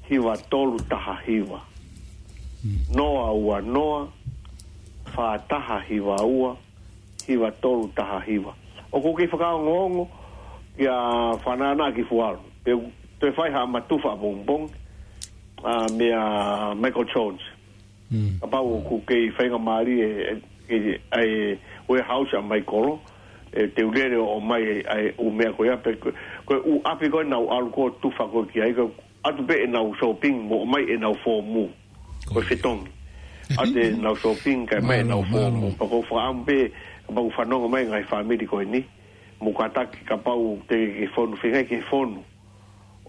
hiva tolu taha hiva. Noa ua noa, fā taha hiva ua, hiva tolu taha hiva. ʻOku ou kei fakaongoongo kia Fanana ki Fualu. Pea toe fai haʻama tufa ʻapongipongi, ā, meia Michael Jones. Kapau ʻoku kei faingamālie e, e, e warehouse ʻa Michael, ʻe te u lele ʻo ʻomai e, e ʻū meʻa ko ia pe ko, ko e ʻū ʻapi ko ē naʻa ku ʻalu ʻo tufa ko ē ki ai, ko e ʻatu pē ʻenau shopping mo ʻomai ʻenau foomu. Ko e fetongi. ʻAtu ʻenau shopping kae ʻomai ʻenau foomu. Pea ʻoku ou fakaʻamu pē, kapau ʻoku fanongo mai ngaahi fāmili ko eni, mou kātaki kapau teʻeki ke fonu, feinga ke fonu.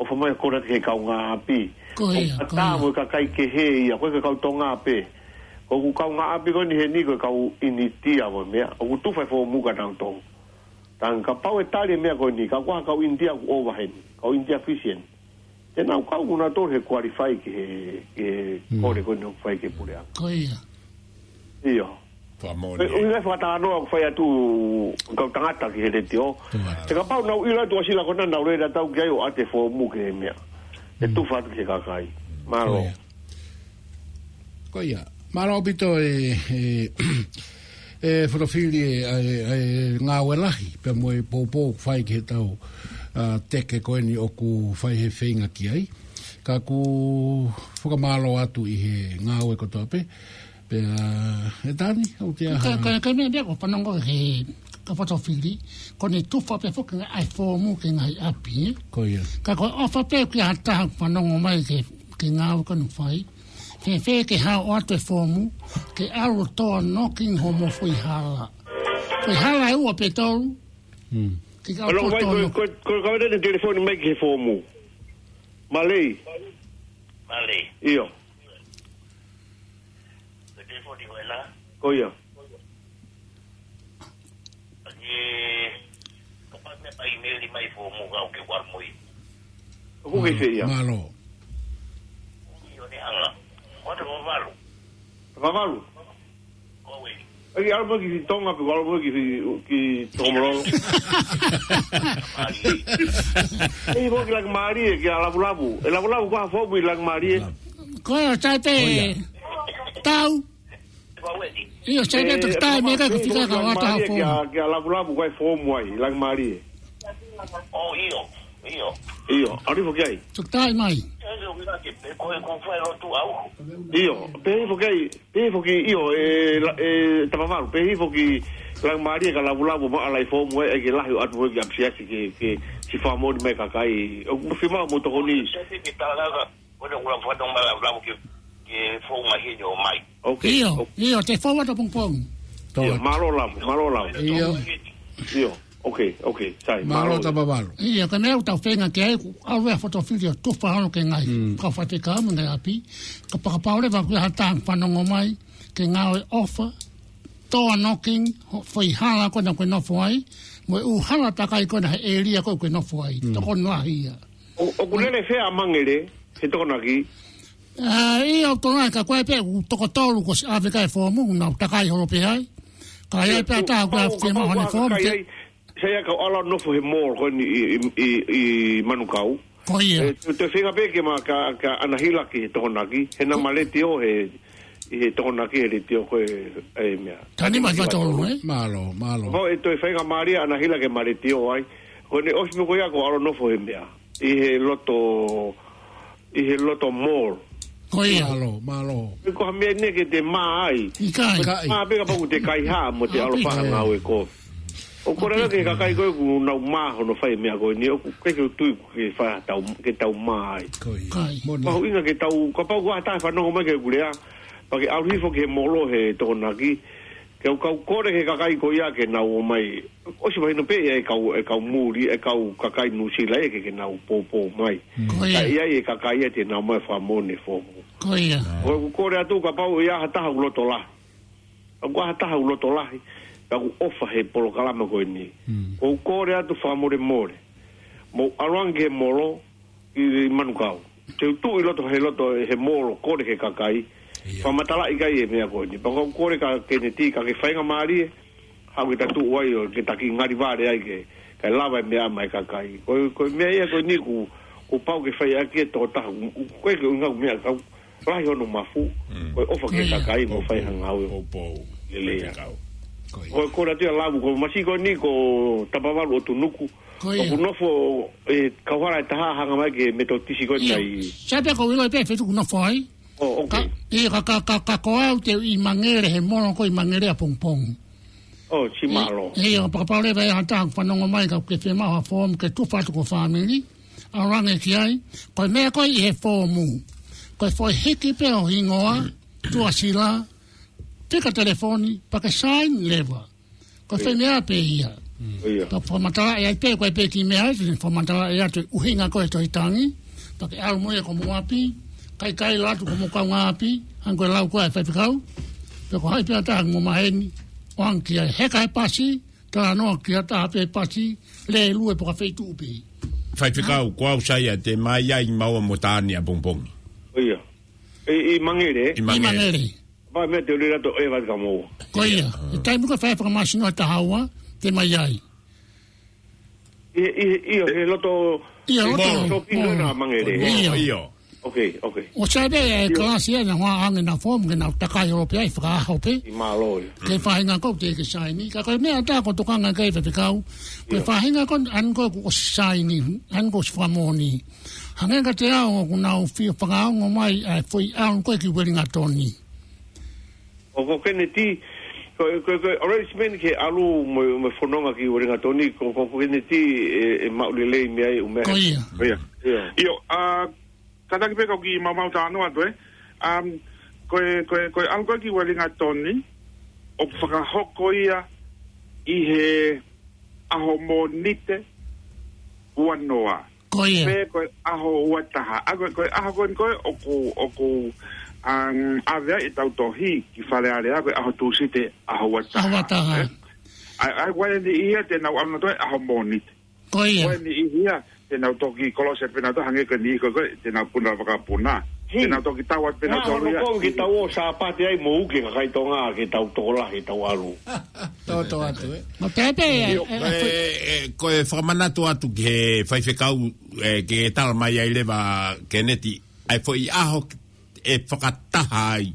ʻOfa mai ʻo kole atu ki he kaungāʻapi. Ko ia, ko ia. Ko e kakai kehe ia, ko e kau Tonga pē. Ko e kaungāʻapi ko eni heni ko e kau ʻInitia mo e meʻa. ʻOku tufa e foomu kia nautolu. Tangata kapau ʻe tali e meʻa ko eni, ka ko e kau ʻInitia ʻoku ʻova heni. Kau ʻInitia Fisian. Te nau kau mo nautolu he qualify ki he, ki he kole ko eni ʻoku fai ki he puleʻanga. Ko ia. ʻIo. Fakamoʻoni. ʻUhinga e fakatalanoa ʻoku fai atu kau tangata ki he letiō. Te kapau nau ʻilo atu ʻa sila ko ena nau lele atu ki ai ʻo ʻatu e foomu ki he meʻa. ʻE tufa atu ki he kakai. Mālō. Ko ia. Mālō ʻaupito e, e, e fotofili e, e, e ngāue lahi, pea mo e poupou ʻoku fai ki he tau, ā, teke ko eni ʻoku fai he feinga ki ai. Ka ʻoku fakamālō atu ʻi he ngāue kotoa pē. Pea, ʻe Tani, ʻoku te aha? Ka, ka, ka meʻa, meʻa ʻoku ou fanongo he, ka fotofili, ko ʻene tufa pē foki ʻa e foomu ki he ngaahi ʻapi, ē? Ko ia. Ka ko e ʻofa pē ki ha taha ʻoku fanongo mai ki he, ki he ngāue ko ena ʻoku fai. Fēfē ke haʻu ʻo ʻatu e foomu, ke ʻalu ʻo toe knocking hoʻomo foʻi hala. Foʻi hala ʻe ua pe tolu. Ke ka ʻalu ʻo toe knocking. Ko, ko, ko e kaveinga ʻene telefoni mai ki he foomu. Malei. Malei. ʻIo. Ko e telefoni ko ena. Ko ia. ʻE, kapau meʻa pea ʻimeli mai foomu kau ke ʻalu mo ia. ʻOku ke fē ia? Mālō. ʻIo ne anga. Ko e Tapa Valu. Tapa Valu? Ko eni. ʻE ke ʻalu mo ia ki Tonga pe ʻalu mo ia ki, ki Tongomololo. Mālie. ʻE, mo ki Laumālie, ki ʻa Lavulavu. ʻE Lavulavu ko e hā e foomu ʻi Laumālie? Ko e ʻo tai pē. Ko ia. Tau. ʻIo, sai pē toki tai meʻa ka fika ka ʻoatu ha foomu. Kia, kia Lavulavu ko e foomu ai, Laumālie. ʻO, ʻio, ʻio. ʻIo, ʻalu hifo ki ai. Toki tai mai. Ko e, ko e fai lotu au. ʻIo, pehē hifo ki ai, pehē hifo ki, ʻio, e, la, e, Tapa Valu, pehē hifo ki Laumālie ka Lavulavu mo ʻalu ʻo foomu ai, ʻe ke lahi ʻo ʻatu mo ia ki ʻapisiasi ke, ke siʻi fakamoʻoni mai kakai. ʻOku fiemaʻu mo tokoni. Ke tala ka Ko e ʻuluaki fatongia Lavulavu ke, ke fou mai heni ʻo mai. Ok. ʻIo, ok. ʻIo, te fou atu pongipongi. ʻIo, mālō Lavu, mālō Lavu. ʻIo. ʻIo, ok, ok, sai, mālō Tapa Valu. ʻIo, ka meʻa ʻoku tau feinga ki ai, ʻoku ʻalu e fotofili ʻo tufa holo ki he ngaahi kau faifekau mo e ngaahi ʻapi. Kapau, kapau leva ʻoku ʻi ai ha taha fanongo mai, ke ngāue ʻofa, toe knocking, hoʻo foʻi hala ko ena ʻoku ke nofo ai, mo e ʻū hala takai ko ena he ʻēlia ko ē ʻoku ke nofo ai. Tokoni lahi ia. ʻO, ʻoku lele fē ʻa Mangele, he Tokonaki? ʻA, ʻio, ʻoku tokoni ka ko e pē, ʻoku toko tolu kuo ʻosi ʻave ki ai e foomu, nau takai holo pē ai. Ka ʻi ai pē ʻa e taha ʻoku ʻikai fiemaʻu haʻane foomu. Sai ia ka ʻalu ʻo nofo he mall ko eni ʻi, ʻi, ʻi, ʻi Manukau. Ko ia. ʻE, te, te feinga pē ke ma ka, ka ʻanahila ki he Tokonaki, he naʻa ma letiō he, ʻi he Tokonaki he letiō ko ē, ʻa e meʻa. Tani mai faitolu, ē? Mālō, mālō. Mo e toe faingamālie ʻanahila ke ma letiō ai. Ko ʻene ʻosi pē ko ia ko e ʻalu ʻo nofo he meʻa. ʻI he loto, ʻi he loto mall. Ko ia. Mālō, mālō. Ko ha meʻa eni ke te mā ai. ʻIkai. Ko e mā pē kapau ʻoku te kaihaʻa mo te ʻalu ʻo fai ha ngāue kovi. ʻOku kole ange ki he kakai ko ē ʻoku nau mā hono fai e meʻa ko eni, ʻoku ʻikai ke u tui ʻoku ke fai ha tau, ke tau mā ai. Ko ia. Ko ia. Moʻoni. Mahuʻinga ke tau, kapau ʻoku ʻi ai ha taha ʻe fanongo mai ki heʻeku lea, pea ke ʻalu hifo ki he molo he Tokonaki, ke u kau kole ki he kakai ko ia ke nau ō mai. ʻOsi mahino pē ʻe kau, ʻe kau muli, ʻe kau kakai Nuʻusila ia ke, ke nau poupou mai. Mm. Ko ia. Ka ʻi ai e kakai ia te nau ō mai fakamoʻoni e foomu. Ko ia. ʻOku ou kole atu kapau ʻoku ʻi ai ha taha ʻoku loto lahi. ʻOku ʻi ai ha taha ʻoku loto lahi, ka ʻoku ʻofa he polokalama ko eni. Mm. ʻOku ou kole atu fakamolemole. Mou ʻalu ange ki he molo, ʻi Manukau. Te u tuʻu ʻi loto, he loto, he molo, kole ki he kakai. Ia. Fakamatalaʻi ki ai e meʻa ko eni. Pea ʻoku ou kole kia Keneti, ka ke faingamālie, haʻu ke ta tuʻu ai ʻo ke ta kiʻi ngali vale ai ke, ke lava e meʻa maʻa e kakai. Ko, ko e meʻa ia ko eni ʻoku, ʻoku pau ke fai ʻaki e tokotaha, ʻoku, ʻoku ʻikai ke ʻuhinga meʻa kau, lahi hono mafu, Mm. ko e ʻofa ki he Ko ia. kakai mo fai ha ngāue. Poupou. Lelei ia. Faifekau. Ko ia. Ko, ko e kole atu ia Lavu, ko e masiʻi ko eni ko Tapavalu ʻo Tunuku. Ko ia. ʻOku nofo e kauhala ʻe taha hanga mai ki he Metotisi ko eni Ia. ai. Sai pē ko e ʻilo pē feituʻu ʻoku nofo ai. Oh, ok. Ka, ia ka, ka, ka, ka ko au te u ʻi Mangere he molo ko ē ʻi Mangere ʻapongipongi. Oh, si mālō. Ia, ia, kapau leva ʻe ʻi ai ha taha ʻoku fanongo mai ka ʻoku ke fiemaʻu ha foomu ke tufa atu ki ho fāmili. ʻAlu ange ki ai, ko e meʻa ko ē ʻi he foomu. Ko e foʻi hiki pē ho hingoa, tuʻasila, fika telefoni, pea ke saini leva. Ko e foʻi meʻa pē ia. Ia. Pea fakamatalaʻi ai pē, ko e pē kiʻi meʻa ia, te ne fakamatalaʻi atu e ʻuhinga ko ē e tohi tangi, pea ke ʻalu mo ia ki homou ʻapi, kaikaila atu ki homou kaungāʻapi, hangē ko e lau ko ē ʻa e faifekau, pe ko hai pē ha taha ʻoku mou maheni, ʻoange ki ai, heka he pasi, talanoa ki ha taha pē he pasi, lēlue pe ko ha feituʻu pē. Faifekau, ko au Saia te u ʻi ai maua mo Tani ʻapongipongi. Oh, ia. ʻI, ʻi Mangere? ʻI Mangere. ʻI Mangere. Pea meʻa te u lele atu ʻo ʻeva ka mou. Ko ia. Ia. ʻI he taimi ko ē fai fakamāsino ʻe taha ua, te u ʻi ai. ʻI, ʻi, ʻi, he loto ʻI he loto molo. Shopping molo. Ko ena Mangere. Ia. Ia. Ok, ok. ʻOsi pē e Ia. kalasi ʻe nau ʻoange ʻena foomu ke nau takai holo pē ai fakaʻaho pē. ʻI mālō ia. Ko e faʻahinga ko ē te ke saini. Ka ko e meʻa ʻe taha ʻoku ou tokanga ki ai faifekau. Ko e Ia. faʻahinga ko ē ʻoku ʻosi saini, ʻoku ʻosi fakamoʻoni. Hangē kiate au ʻoku nau fie fakaongo mai ʻa e foʻi ʻalu ko ē ki Uelingatoni. ʻO ko Keneti, ko, ko, ko e arrangement ke ʻalu mo, mo e fononga ki Uelingatoni, ko, ko, ko Keneti ʻe, ʻe maʻu lelei mei ai ʻū meʻa. Ko ia. Ko ia. Ia. ʻIo, ʻa, kātaki pē kau kiʻi maumau talanoa atu, ē. Um, ko e, ko e, ko e ʻalu ko ē ki Uelingatoni, ʻoku fakahoko ia ʻi he ʻaho Mōnite ua noa. Ko ia. Pe ko e ʻaho ua taha. ʻA ko e, ko e ʻaho ko eni ko ē ʻoku, ʻoku, um, ʻave ai ʻetau tohi ki Fale Alea ko e ʻaho Tūsite ʻaho ua taha. ʻAho ua taha. Ē? ʻA, ʻa, ko e niʻihi ia te nau ʻalu nautolu he ʻaho Mōnite. Ko ia. Ko e niʻihi ia te nau toki kolosi pē nautolu hangē ko e niʻihi ko ē, ko ē, te nau puna vakapuna. Hei. Te nau toki tau atu pē nautolu ia. Ngā hono kou ke tau ō Sāpate ai mo uke kakai Tonga ke tau tokolahi tau ʻalu. Tōtō atu, ē. Ma pepe, ʻIo, ē, ē, ē, ē, ko e fakamanatu atu ki he faifekau, ē, ke tala mai ai leva Keneti, ʻa e foʻi ʻaho ʻe fakataha ai,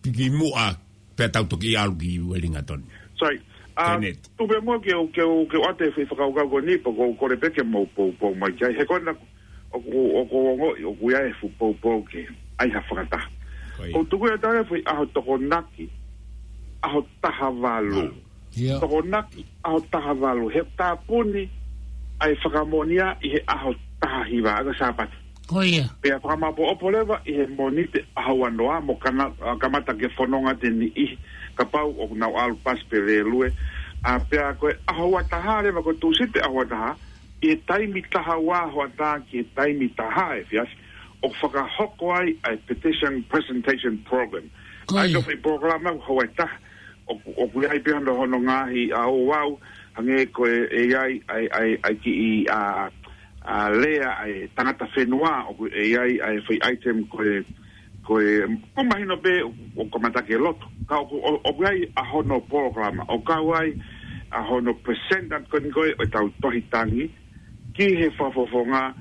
piki muʻa, pea tau toki ʻalu ki Uelingatoni. Sorry. Um, Keneti. Tuku pē muʻa ke u, ke u, ke u ʻoatu e foʻi fakakaukau ko eni, pea ʻoku ou kole pē ke mou poupou mai ki ai. He ko ena ʻoku, ʻoku ou ongoʻi, ʻoku ʻi ai e fuʻu poupou ke ʻai ha fakataha. Ko ia. ʻOku tuku ia taha e foʻi ʻaho Tokonaki, ʻaho taha valu. Valu. Ia. Tokonaki, ʻaho taha valu. He tāpuni ʻa e fakamoʻoni ia ʻi he ʻaho taha hiva, ʻa ko e Sāpate. Ko ia. Pea fakamāʻopoʻopo leva ʻi he Mōnite ʻaho ua noa mo kana, ʻa, kamata ke fononga atu e niʻihi kapau ʻoku nau ʻalu pasi pe lēlue. ʻA, pea ko e ʻaho ua taha leva ko e Tūsite ʻaho ua taha, ʻi he taimi taha ua hoʻatā ki he taimi taha efiafi, ʻoku fakahoko ai ʻa e Petition Presentation Program. Ko ia. ʻA ia ko e foʻi polokalama ʻoku ʻi ai taha, ʻoku, ʻoku ʻi ai pē hono, hono ngaahi ʻa ouau, hangē ko e, ʻe ʻi ai, ʻa e, ʻa e, ʻa e kiʻi, ʻa, ʻa, lea ʻa e tangata fenua, ʻoku ʻi ai, ʻa e foʻi item ko e, ko e, ʻoku mahino pē ʻoku, ʻoku kamata ki he lotu. Ka ʻoku, ʻo, ʻoku ʻi ai ʻa hono polokalama, ʻo kau ai ʻa hono present atu ko eni ko ē ʻo ʻetau tohi tangi, ki he fakafofonga,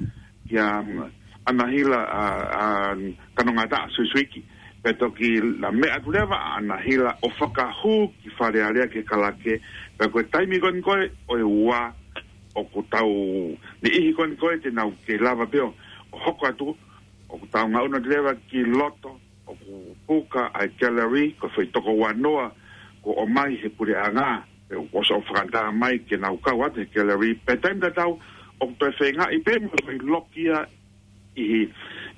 kia, um, ʻAnahila, ʻa, ʻa, Kanongataʻa Suisuiki. Pea toki la meʻa atu leva ʻa ʻAnahila ʻo fakahū ki Fale Alea ke kalake. Pea ko e taimi ko eni ko ē ʻo e ua, ʻoku tau niʻihi ko eni ko ē te nau kei lava pē ʻo, ʻo hoko atu, ʻoku tau ngaʻunu atu leva ki loto, ʻoku puka ʻa e gallery, ko e foʻi toko ua noa, kuo ʻomai he puleʻanga. ʻOsi ʻo fakatā mai ke nau kau atu he gallery, pea taimi tatau ʻoku toe feingaʻi pē mo e foʻi loki ia ʻi,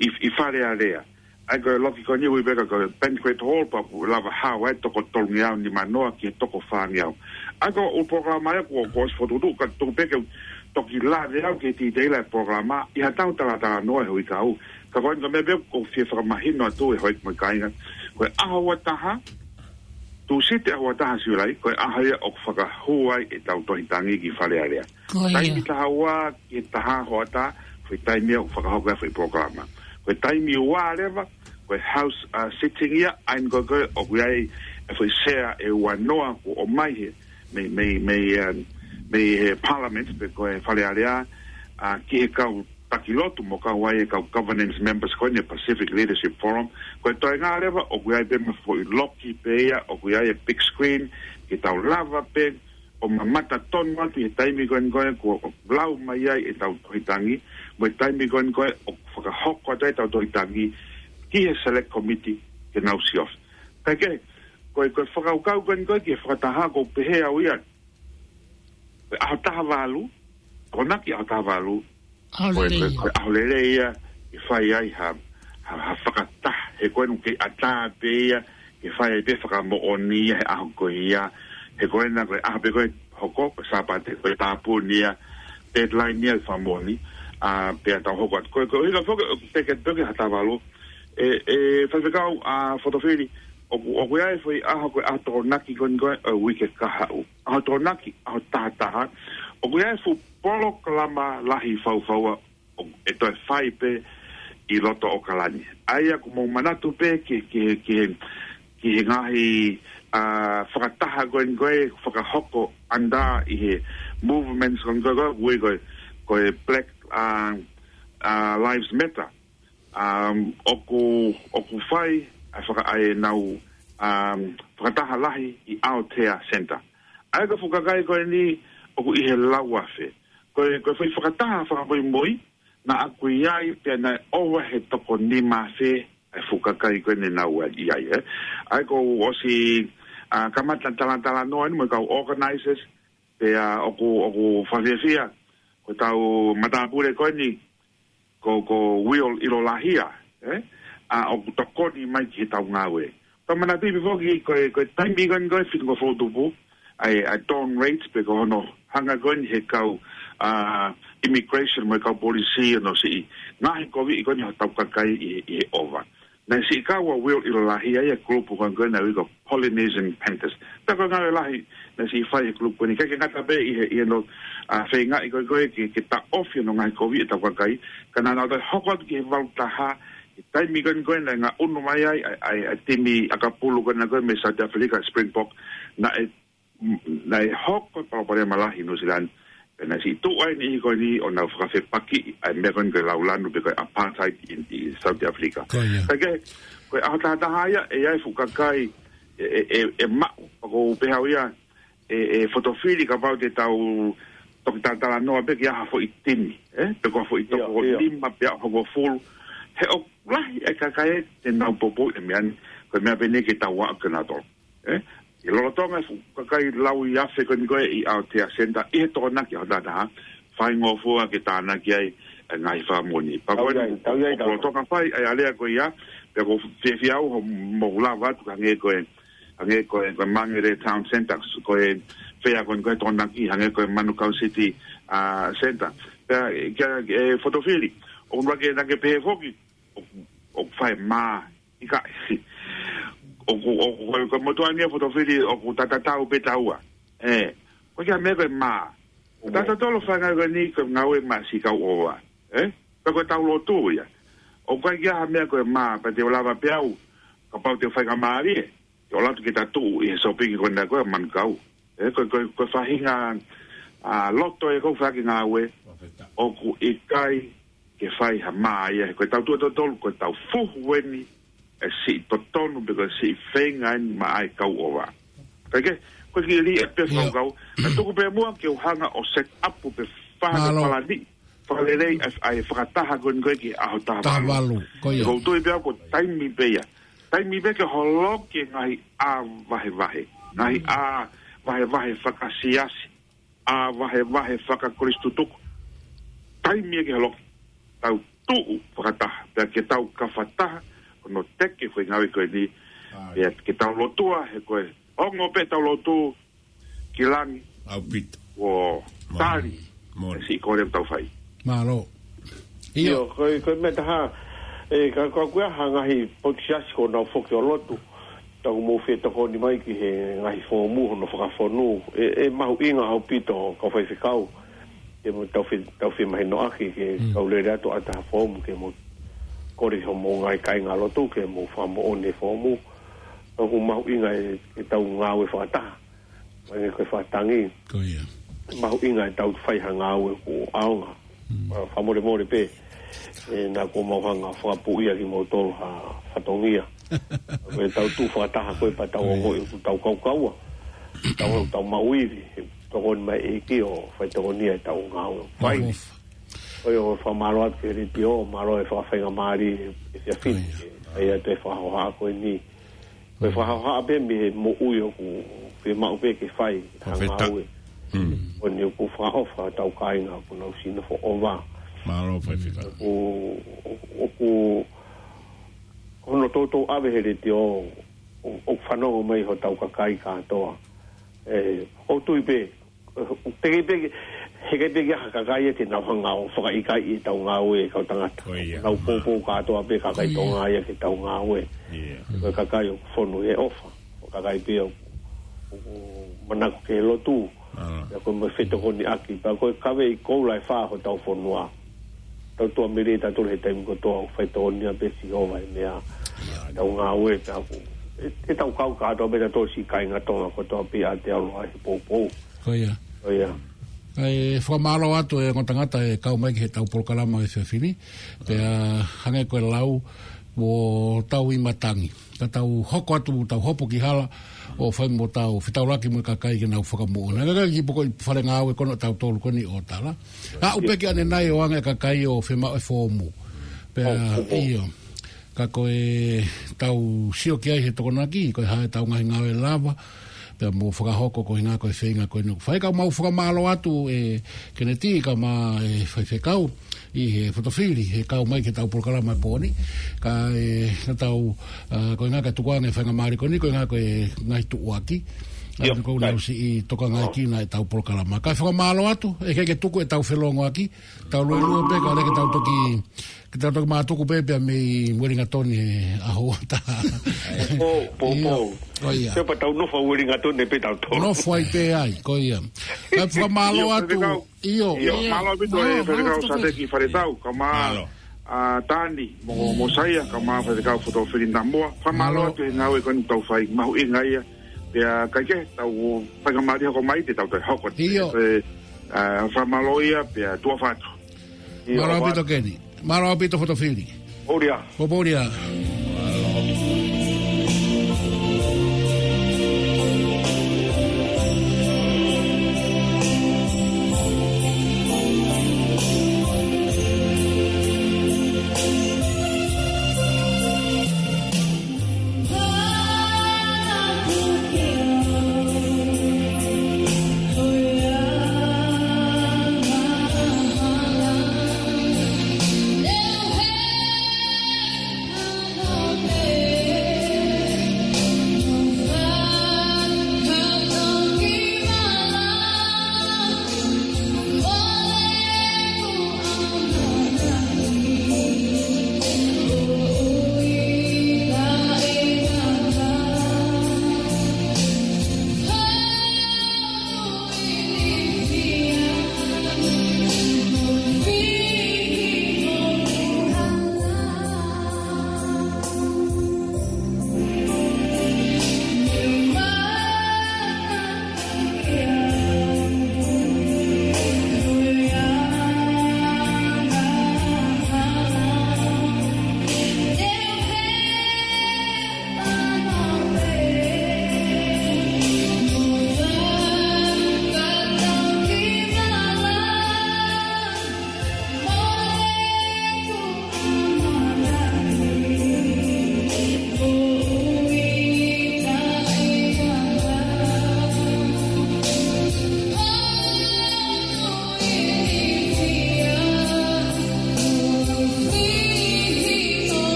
ʻi, ʻi Fale Alea. ʻA ia ko e loki ko eni ʻoku ui pē ko e Banquet Hall, pea ʻoku lava hao ai toko tolungeau nimanoa ki he toko fāngeau. ʻA ia ko e polokalama ia kuo, kuo ʻosi fokotuʻutuʻu, ka tuku pē ke u toki lave au ki he titei ʻa e polokalama ʻi haʻatau talatalanoa he uike kahaʻu. Ka ko e meʻa pē ʻoku ou fie fakamahino atu ʻe houʻeiki mo e kāinga, ko e ʻaho ua taha, Tūsite ʻaho ua taha Siulai, ko e ʻaho ia ʻoku fakahū ai ʻetau tohi tangi ki Fale Alea. Ko ia. Taimi taha ua ki he taha hoʻatā, ko e taimi ia ʻoku fakahoko ai e foʻi polokalama. Ko e taimi ua leva, ko e house, uh, sitting ia, ʻa ia ko ē ʻoku ʻi ai e foʻi sea ʻe ua noa kuo ʻomai he, mei, mei, mei, um, mei he Parliament, pe ko e Fale Alea, uh, ki he kau taki lotu mo kau ai e kau governance members ko eni Pacific Leadership Forum. Ko e toenga leva ʻoku ʻi ai pē mo e foʻi loki pē ia, ʻoku ʻi ai e big screen, ke tau lava pē ʻo mamata tonu atu he taimi ko eni ko ē kuo lau mai ai ʻetau tohi tangi, mo e taimi ko eni ko ē ʻoku fakahoko atu ai ʻetau tohi tangi ki he select committee ke nau siofi. Kae kehe, ko e, ko e fakakaukau ko eni ko ē ki he fakataha, ʻoku ou pehē au ia, ko e ʻaho taha valu, Tokonaki ʻaho taha valu, ʻaho ko e, ko e, lelei ia. Ko e ʻaho lelei ia ke fai ai ha, ha, ha fakataha, he ko eni ʻoku kei ʻatā pē ia ke fai ai pē fakamoʻoni ia he ʻaho ko ia, he ko ena ko e ʻaho pē ko ē hoko, ko e Sāpate, ko e tāpuni ia, deadline ia e fakamoʻoni, ʻa, pea tau hoko atu. Ko e, ko e ʻuhinga foki ʻoku teke atu pē ki he ʻaho taha valu, ʻe, ʻe Faifekau, ʻa, Fotofili, ʻoku, ʻoku ʻi ai e foʻi ʻaho ko e ʻaho Tokonaki ko eni ko ē ʻo e uike kahaʻu. ʻAho Tokonaki, ʻaho taha taha, ʻoku ʻi ai e fuʻu polokalama lahi faufaua ʻoku, ʻe toe fai pē ʻi loto ʻAokalani. ʻA ia ʻoku mou manatu pē ki, ki, ki, ki he ngaahi, ʻa, fakataha ko eni ko ē fakahoko ʻanda ʻi he movements ko eni ko ē, ko ē, ko e, ko e Black, ʻa, ʻa, Lives Matter. Um, ʻoku, ʻoku fai ʻa e faka-, ʻa ʻenau, um, fakataha lahi ʻi Aotea Centre. ʻA ia ko e fuʻu kakai ko eni ʻoku ʻi he lau afe. Ko e, ko e foʻi fakataha fakamuimui, naʻa ku ʻi ai pea naʻe ʻova he toko nima afe ʻa e fuʻu kakai ko eni naʻa nau ʻi ai, ē. ʻA ia kuo u ʻosi, ʻa, kamata talatalanoa eni mo e kau organizers, pea ʻoku, ʻoku fakafiefia ko ʻetau matāpule ko eni, ko, ko Will ʻIlolahia, ē? ʻA, ʻoku tokoni mai ki heʻetau ngāue. Tau manatuʻi pē foki ko e, ko e taimi ko eni ko e fitu ko e foʻi tupu, ʻa e, ʻa e dawn raids pe ko hono hanga ko eni he kau, ʻa, immigration mo e kau polisi ʻo nau siʻi ngaohikoviʻi ko eni hotau kakai ʻi, ʻi he ʻova. Naʻe siʻi kau ʻa Will ʻIlolahia ia e kulupu ko eni ko ē naʻe ui ko e Polynesian Panthers. Pea ko e ngāue lahi naʻe siʻi fai he kulupu ko eni. ʻIkai ke ngata pē ʻi he, ʻi hono, ʻa, feingaʻi ko ē ko ē ke, ke taʻofi hono ngaohikoviʻi ʻetau kakai, ka naʻa nau toe hoko atu ki he valu taha, he taimi ko eni ko ē naʻe ngaʻunu mai ai ʻa e, ʻa e, ʻa e timi ʻakapulu ko ena ko ē mei South Africa, Springbok, naʻe, naʻe hoko e palopalema lahi ʻi New Zealand, pea naʻe siʻi tuʻu ai e niʻihi ko eni ʻo nau fakafepakiʻi ʻa e meʻa ko eni ko e laulanu pe ko e apartheid ʻi, ʻi South Africa. Ko ia. Kae kehe, ko e ʻaho taha taha ia, ʻe ʻi ai e fuʻu kakai ʻe, ʻe, ʻe, ʻe maʻu, ʻoku ou pehē au ia, ʻe, ʻe Fotofili kapau te tau toki talatalanoa pē ki ha foʻi timi, ē? Pe ko ha foʻi toko nima pe ʻe hongofulu. He ʻoku lahi e kakai ē te nau poupouʻi e meʻa ni, ko e meʻa pē eni ke tau aʻu ki ai nautolu, ē? ʻI he lolotonga e fuʻu kakai lau ʻi afe ko eni ko ē ʻi Aotea Centre, ʻi he Tokonaki ʻaho taha taha, faingofua ke tānaki ai e ngaahi fakamoʻoni. Pea ko eni, ʻoku lolotonga fai ʻa e alea ko ia, pea ʻoku ou fiefia au hoʻomou lava atu, hangē ko e, hangē ko e, ko e Mangere Town Centre, ko e fea ko eni ko e Tokonaki, hangē ko e Manukau City, ʻa, Centre. Pea, kia, ʻe Fotofili, ʻoku ʻikai ke, naʻa ke pehē foki, ʻoku, ʻoku fai mā, ʻikai. ʻOku, ʻoku, ko e, ko e motuʻa ni ʻa Fotofili, ʻoku tatatau pē taua. Ē, ʻoku ʻikai ha meʻa ko e mā. Tatatau ʻa e fanga ko eni ko e ngāue maʻa siʻi kau ʻova. Ē? Pea ko ʻetau lotu ia. ʻOku ʻikai ke ʻi ai ha meʻa ko e mā, pea te u lava pē au, kapau te u faingamālie, ke ʻalu atu ke ta tuʻu ʻi he sōpingi ko ena ko e Manukau. Ē, ko, ko, ko e faʻahinga, ʻa, loto ē ʻoku ou fai ki he ngāue, ʻoku ʻikai ke fai ha mā ia, he ko ʻetau tuʻu ʻatautolu, ko ʻetau fuhu eni e siʻi totonu pe ko e siʻi feinga eni maʻa e kau ʻova. Kae kehe, ko e kiʻi lī ʻa e pē fakakaukau, ka tuku pē muʻa ke u hanga ʻo set up pe fai ha palani fakalelei ʻa e, ʻa e fakataha ko eni ko ē ki he ʻaho taha valu. Taha valu, ko ia. ʻOku ou tui pē au ko e taimi pē ia. Taimi pē ke holoki e ngaahi ʻā vahevahe. Ngaahi ʻā vahevahe fakasiasi, ʻa vahevahe fakakolisitutuku. Taimi ʻe ke holoki, tau tuʻu fakataha, pea ke tau kafataha, ʻo teke foʻi ngāue ko eni, pea ke tau lotua, he ko e ongo pē ʻetau lotu ki langi, ʻaupito. ʻO tali, moni. Siʻi kole ʻoku tau fai. Mālō. ʻIo. ʻIo, ko e, ko e meʻa taha, ʻe, ka, ka ko e hā ngaahi potu siasi ʻoku nau foki ʻo lotu, tau mou fetokoni mai ki he ngaahi foomu hono fakafonu. ʻE, ʻe mahuʻinga ʻaupito kau faifekau. Ke mo tau fe-, tau femahinoʻaki ke kau lele atu ʻa ha foomu ke mo kole hoʻomou ngaahi kāingalotu ke mo fakamoʻoni e foomu. ʻOku mahuʻinga ʻe, ʻetau ngāue fakataha. Mai ko e fakatangi. Ko ia. Mahuʻinga ʻetau fai ha ngāue ʻoku ʻaonga. Fakamolemole pē. ʻE, naʻa kuo mau hanga fakapuʻia kimoutolu ha fatongia. Ko ʻetau tuʻu fakataha ko e pea tau ongoʻi ʻoku tau kaukaua. Tau, tau maʻu ivi. Tokoni mai ʻEiki ʻo faitokonia ʻetau ngāue. Fai. Ko ia ʻoku fakamālō atu ki he letiō, mālō e fakafaingamālie ʻi he efiafi ni. ʻAi atu e fakahohaʻa ko eni. Ko e fakahohaʻa pē mei he moʻui ʻoku fiemaʻu pē ke fai ha ngāue. Ko eni ʻoku fakaʻofa ʻetau kāinga ʻoku nau sinofo ʻova. Mālō faifekau. ʻOku, ʻoku, ʻoku hono toutou ʻave he letiō, ʻo, ʻoku fanongo mai hotau kakai kātoa. ʻE, ʻoku ou tui pē, ʻoku teʻeki pē ke, heʻikai pē ke ʻi ai ha kakai ia te nau hanga ʻo fakaʻikaiʻi ʻetau ngāue kau tangata. Ko ia. Nau poupou kātoa pē kakai Tonga ia ki heʻetau ngāue. Ko e kakai ʻoku fonu he ʻofa. Ko e kakai pē ʻoku, ʻoku manako ke lotu. Pea ko e mo fetokoniʻaki. Pea ko e kavei koula ʻe fā hotau fonua. Tau tuʻa melie tautolu he taimi kotoa ʻo faitokonia pē Sihova he meʻa. Tau ngāue pē ʻaku. ʻE, ʻetau kau kātoa pē tautolu siʻi kāinga Tonga kotoa pē ʻa te alo ai he poupou. Ko ia. Ko ia. ʻE fakamālō atu e ongo tangata ʻe kau mai ki heʻetau polokalama he efiafi ni. Pea hangē ko e lau, ʻoku tau ʻi matangi. Ka tau hoko atu, tau hopo ki hala, ʻo fai mo tau fetaulaki mo e kakai ke nau fakamoʻoni. Ka kiʻi poko ʻi fale ngāue ko eni ʻo tautolu ko eni ʻo tala. Aʻu pē ki ʻanenai ʻo anga e kakai ʻo fiemaʻu e foomu. Pea ʻio. Ka ko e tau sio ki ai he Tokonaki, ko e hā ʻetau ngaahi ngāue lava, pea mo fakahoko ko e ʻuhinga ko e feinga ko eni ʻoku fai. Ka mau fakamālō atu ʻe Keneti kae ʻumaʻā e faifekau ʻi he fotofili, he kau mai ki heʻetau polokalama he pō ni. Ka ʻe, naʻa tau, ʻa, ko e ʻuhinga ka tukuange faingamālie ko eni, ko e ʻuhinga ko e ngaahi tuʻuaki. ʻIo, ʻa, ko e ʻuhinga ʻoku siʻi tokangaʻi kinautolu ʻetau polokalama. Kae fakamālō atu, ʻe ʻikai ke tuku ʻetau felōngoaki, tau lue lue pē ka leke tau toki, ke tau toki mātuku pē pea mei Uelingatoni he ʻaho ʻe taha. Pō, pō, pō. ʻIo, ko ia. Pea tau nofo Uelingatoni pē tautolu. Nofo ai pē ai, ko ia. Kae fakamālō atu. ʻIo, faifekau. ʻIo. ʻIo, mālō ʻaupito e faifekau Sateki Faletau, kae ʻumaʻā ʻa Tani, mo, mo Saia, kae ʻumaʻā faifekau fotofili Namua. Fakamālō atu he ngāue ko eni ʻoku tau fai, mahuʻinga ia. Pea ʻikai ke tau faingamālie hoko mai te tau toe hoko. ʻIo. Pea, ʻa, fakamālō ia, pea tuʻa ʻofa atu. ʻIo, mālō ʻaupito Keni. Mālō ʻaupito fotofili. Poupou lelei. Poupou lelei.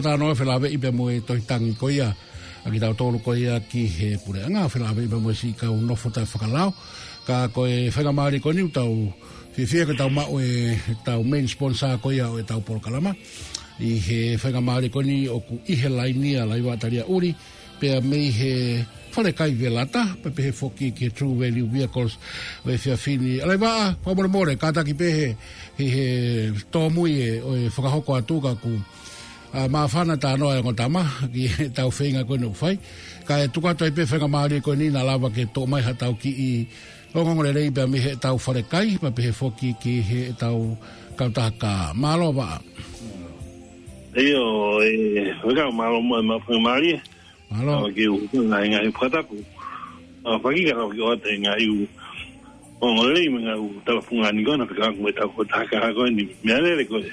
Talanoa felāveʻi pea mo e tohi tangi ko ia ʻa kitautolu ko ia ki he puleʻanga, felāveʻi pea mo e siʻi kau nofo taʻefakalao. Ka ko e faingamālie ko eni ʻoku tau fiefia ko ʻetau maʻu ʻetau main sponsor ko ia ʻo ʻetau polokalama. ʻI he faingamālie ko eni ʻoku ʻi he laini ʻa Laivaʻa Taliaʻuli, pea mei he Falekai Velata, pea pehē foki ki he True Value Vehicles ʻo e efiafi ni. ʻA Laivaʻa, fakamolemole, kātaki pē he, he, he tōmui e, ʻo e fakahoko atu ka ʻoku, ʻa, māfana talanoa e ongo tama, ki heʻetau feinga ko eni ʻoku fai. Kae tuku atu ai pē faingamālie ko eni naʻa lava ke toʻo mai haʻatau kiʻi ongoongolelei pea mei heʻetau falekai, pea pehē foki ki heʻetau kautaha kā. Mālō Vaʻa. ʻIo, e, weka mālō mo e ma-, faingamālie. Mālō. Au ki u, ngaahi, ngaahi fakatapu. Au faki ka au ki o ate ngaahi u. Ongoongolelei mo e ngaahi u tala fungani ko ena fika aku mo ʻetau kautaha kā ko eni. Meʻalele ko e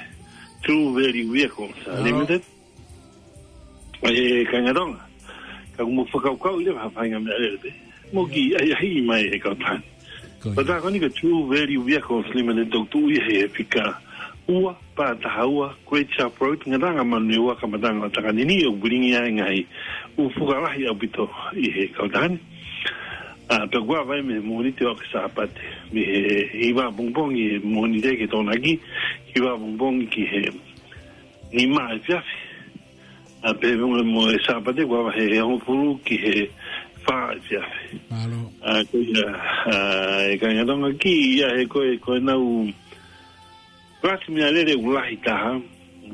True Value Vehicles, uh, Mālō. Limited. E, kāinga Tonga. Ka ʻoku mou fakakaukau leva ha faʻahinga meʻalele pē. Mou kiʻi ʻahiʻahiʻi mai e kautaha ni. Ko ia. Kautaha ko eni ko e True Value Vehicles Limited ʻoku tuʻu ia he fika ua, pā taha ua, Great South Road, Ngataʻanga Manurewa, Kamataʻanga ʻo Takanini, ʻoku pilingi ai e ngaahi ʻū fuka lahi ʻaupito ʻi he kautaha ni. ʻA, pea ʻoku ava ia mei he Mōnite ʻo aʻu ki he Sāpate, mei he hiva pongipongi he Mōnite ki he Tokonaki, hiva pongipongi ki he nima efiafi. ʻA, pea mo e, mo e Sāpate ʻoku ava he, he hongofulu ki he fā efiafi. Mālō. ʻA, ko ia, ʻa, e kāinga Tonga ki ia he ko e, ko ʻenau kalasi meʻalele ʻoku lahi taha,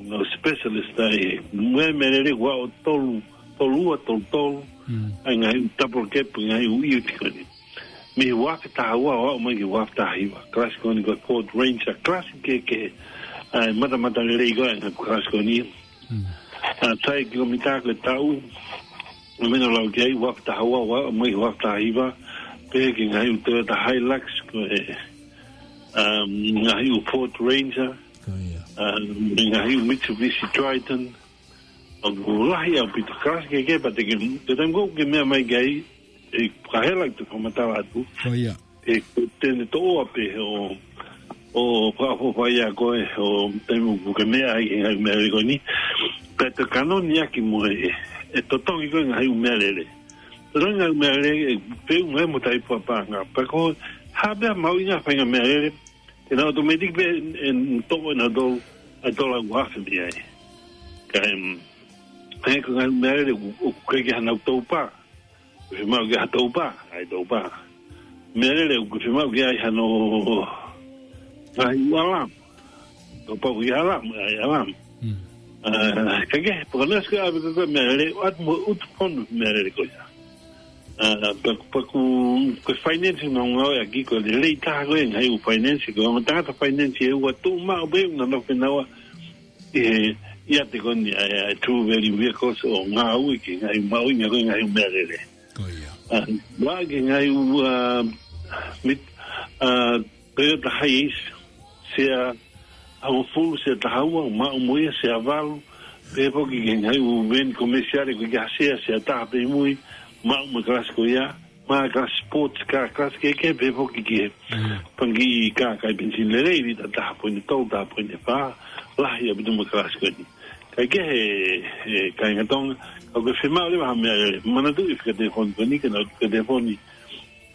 no specialist ai, mo e meʻalele ʻoku ʻa ʻo tolu, tolu ua, tolu tolu, Mm. ʻa e ngaahi double cab, ngaahi ʻū ʻiuti ko eni. Mei he ua afe taha ua ʻo aʻu mai ki he ua afe taha hiva. Kalasi ko eni ko e Ford Ranger, kalasi kehekehe. ʻA e matamatalelei ko ē ʻa e kalasi ko eni. Mm. ʻA, sai ki ko mita ko e taʻu. ʻA e meʻa naʻa ku lau ki ai, ua afe taha ua ʻo aʻu mai ki he ua afe taha hiva. Pehē ki he ngaahi ʻū Toyota Hilux ko e, um, ngaahi ʻū Ford Ranger. Ko ia. Um, ngaahi ʻū Mitsubishi Triton. ʻOku lahi ʻaupito, kalasi kehekehe pea te ke, te taimi ko ē ʻoku ke meʻa mai ki ai, ʻe ka hela ki he fakamatala atu. Ko ia. ʻE, te ne toʻo ʻa pē ʻo, ʻo fakaʻofoʻofa ia ko ē, ʻo taimi ʻoku ke meʻa ai he ngaahi meʻalele ko eni. Pea te kanoni ʻaki mo e, ʻe totongi ko ē ngaahi ʻū meʻalele. Totongi ngaahi meʻalele, ʻe peu mai mo taimi paʻanga. Pea ko, ha pea mahuʻinga faʻahinga meʻalele, te nau automatic pē ʻe toʻo ʻe nautolu ʻa e tola ua afe mei ai. Ka, em, he ko e ngaahi meʻalele ʻoku, ʻoku ʻikai ke ʻi ai haʻanau toupā. ʻOku fiemaʻu ke ʻi ai ha toupā, ʻai toupā. Meʻalele ʻoku fiemaʻu ke ʻi ai hano ngaahi alarm. Toupā ʻoku ʻi ai alarm, ʻai alarm. Mm. ʻA, ka ke, pea ko e next ko ē ʻave ko ē meʻalele, ʻoatu mo e ʻutu fonu meʻalele ko ia. ʻA, pea, pea ko e, ko e finance naʻa ku ngāueʻaki ko e lelei taha ko ē ngaahi ʻū finance, ko e ongo tangata finance ʻe ua tuʻu maʻu pē ʻoku nau nofo ʻi he, ʻi he ʻiate ko eni ʻa e, ʻa e True Value Vehicles ʻo ngāue ki he ngaahi mahuʻinga ko ē ngaahi ʻū meʻalele. Ko ia. ʻA, ʻoatu ki he ngaahi ʻū, ʻa, mit-, ʻa, Toyota Hiace, sea hongofulu, sea taha ua, maʻu mo ia, sea valu, pehē foki ki he ngaahi ʻū veni komesiale ko ē ki ha sea, sea taha pē ʻi mui, maʻu mo e kalasi ko ia, mo e kalasi sports car, kalasi kehekehe, pehē foki ki he Mm. fanga kiʻi kā kai penisini lelei, lita taha poini tolu, taha poini fā, lahi ʻaupito mo e kalasi ko eni. Kae kehe, he kāinga Tonga, ka ʻoku ke fiemaʻu leva ha meʻalele, manatuʻi e fika telefoni ko eni, ke nau fika telefoni,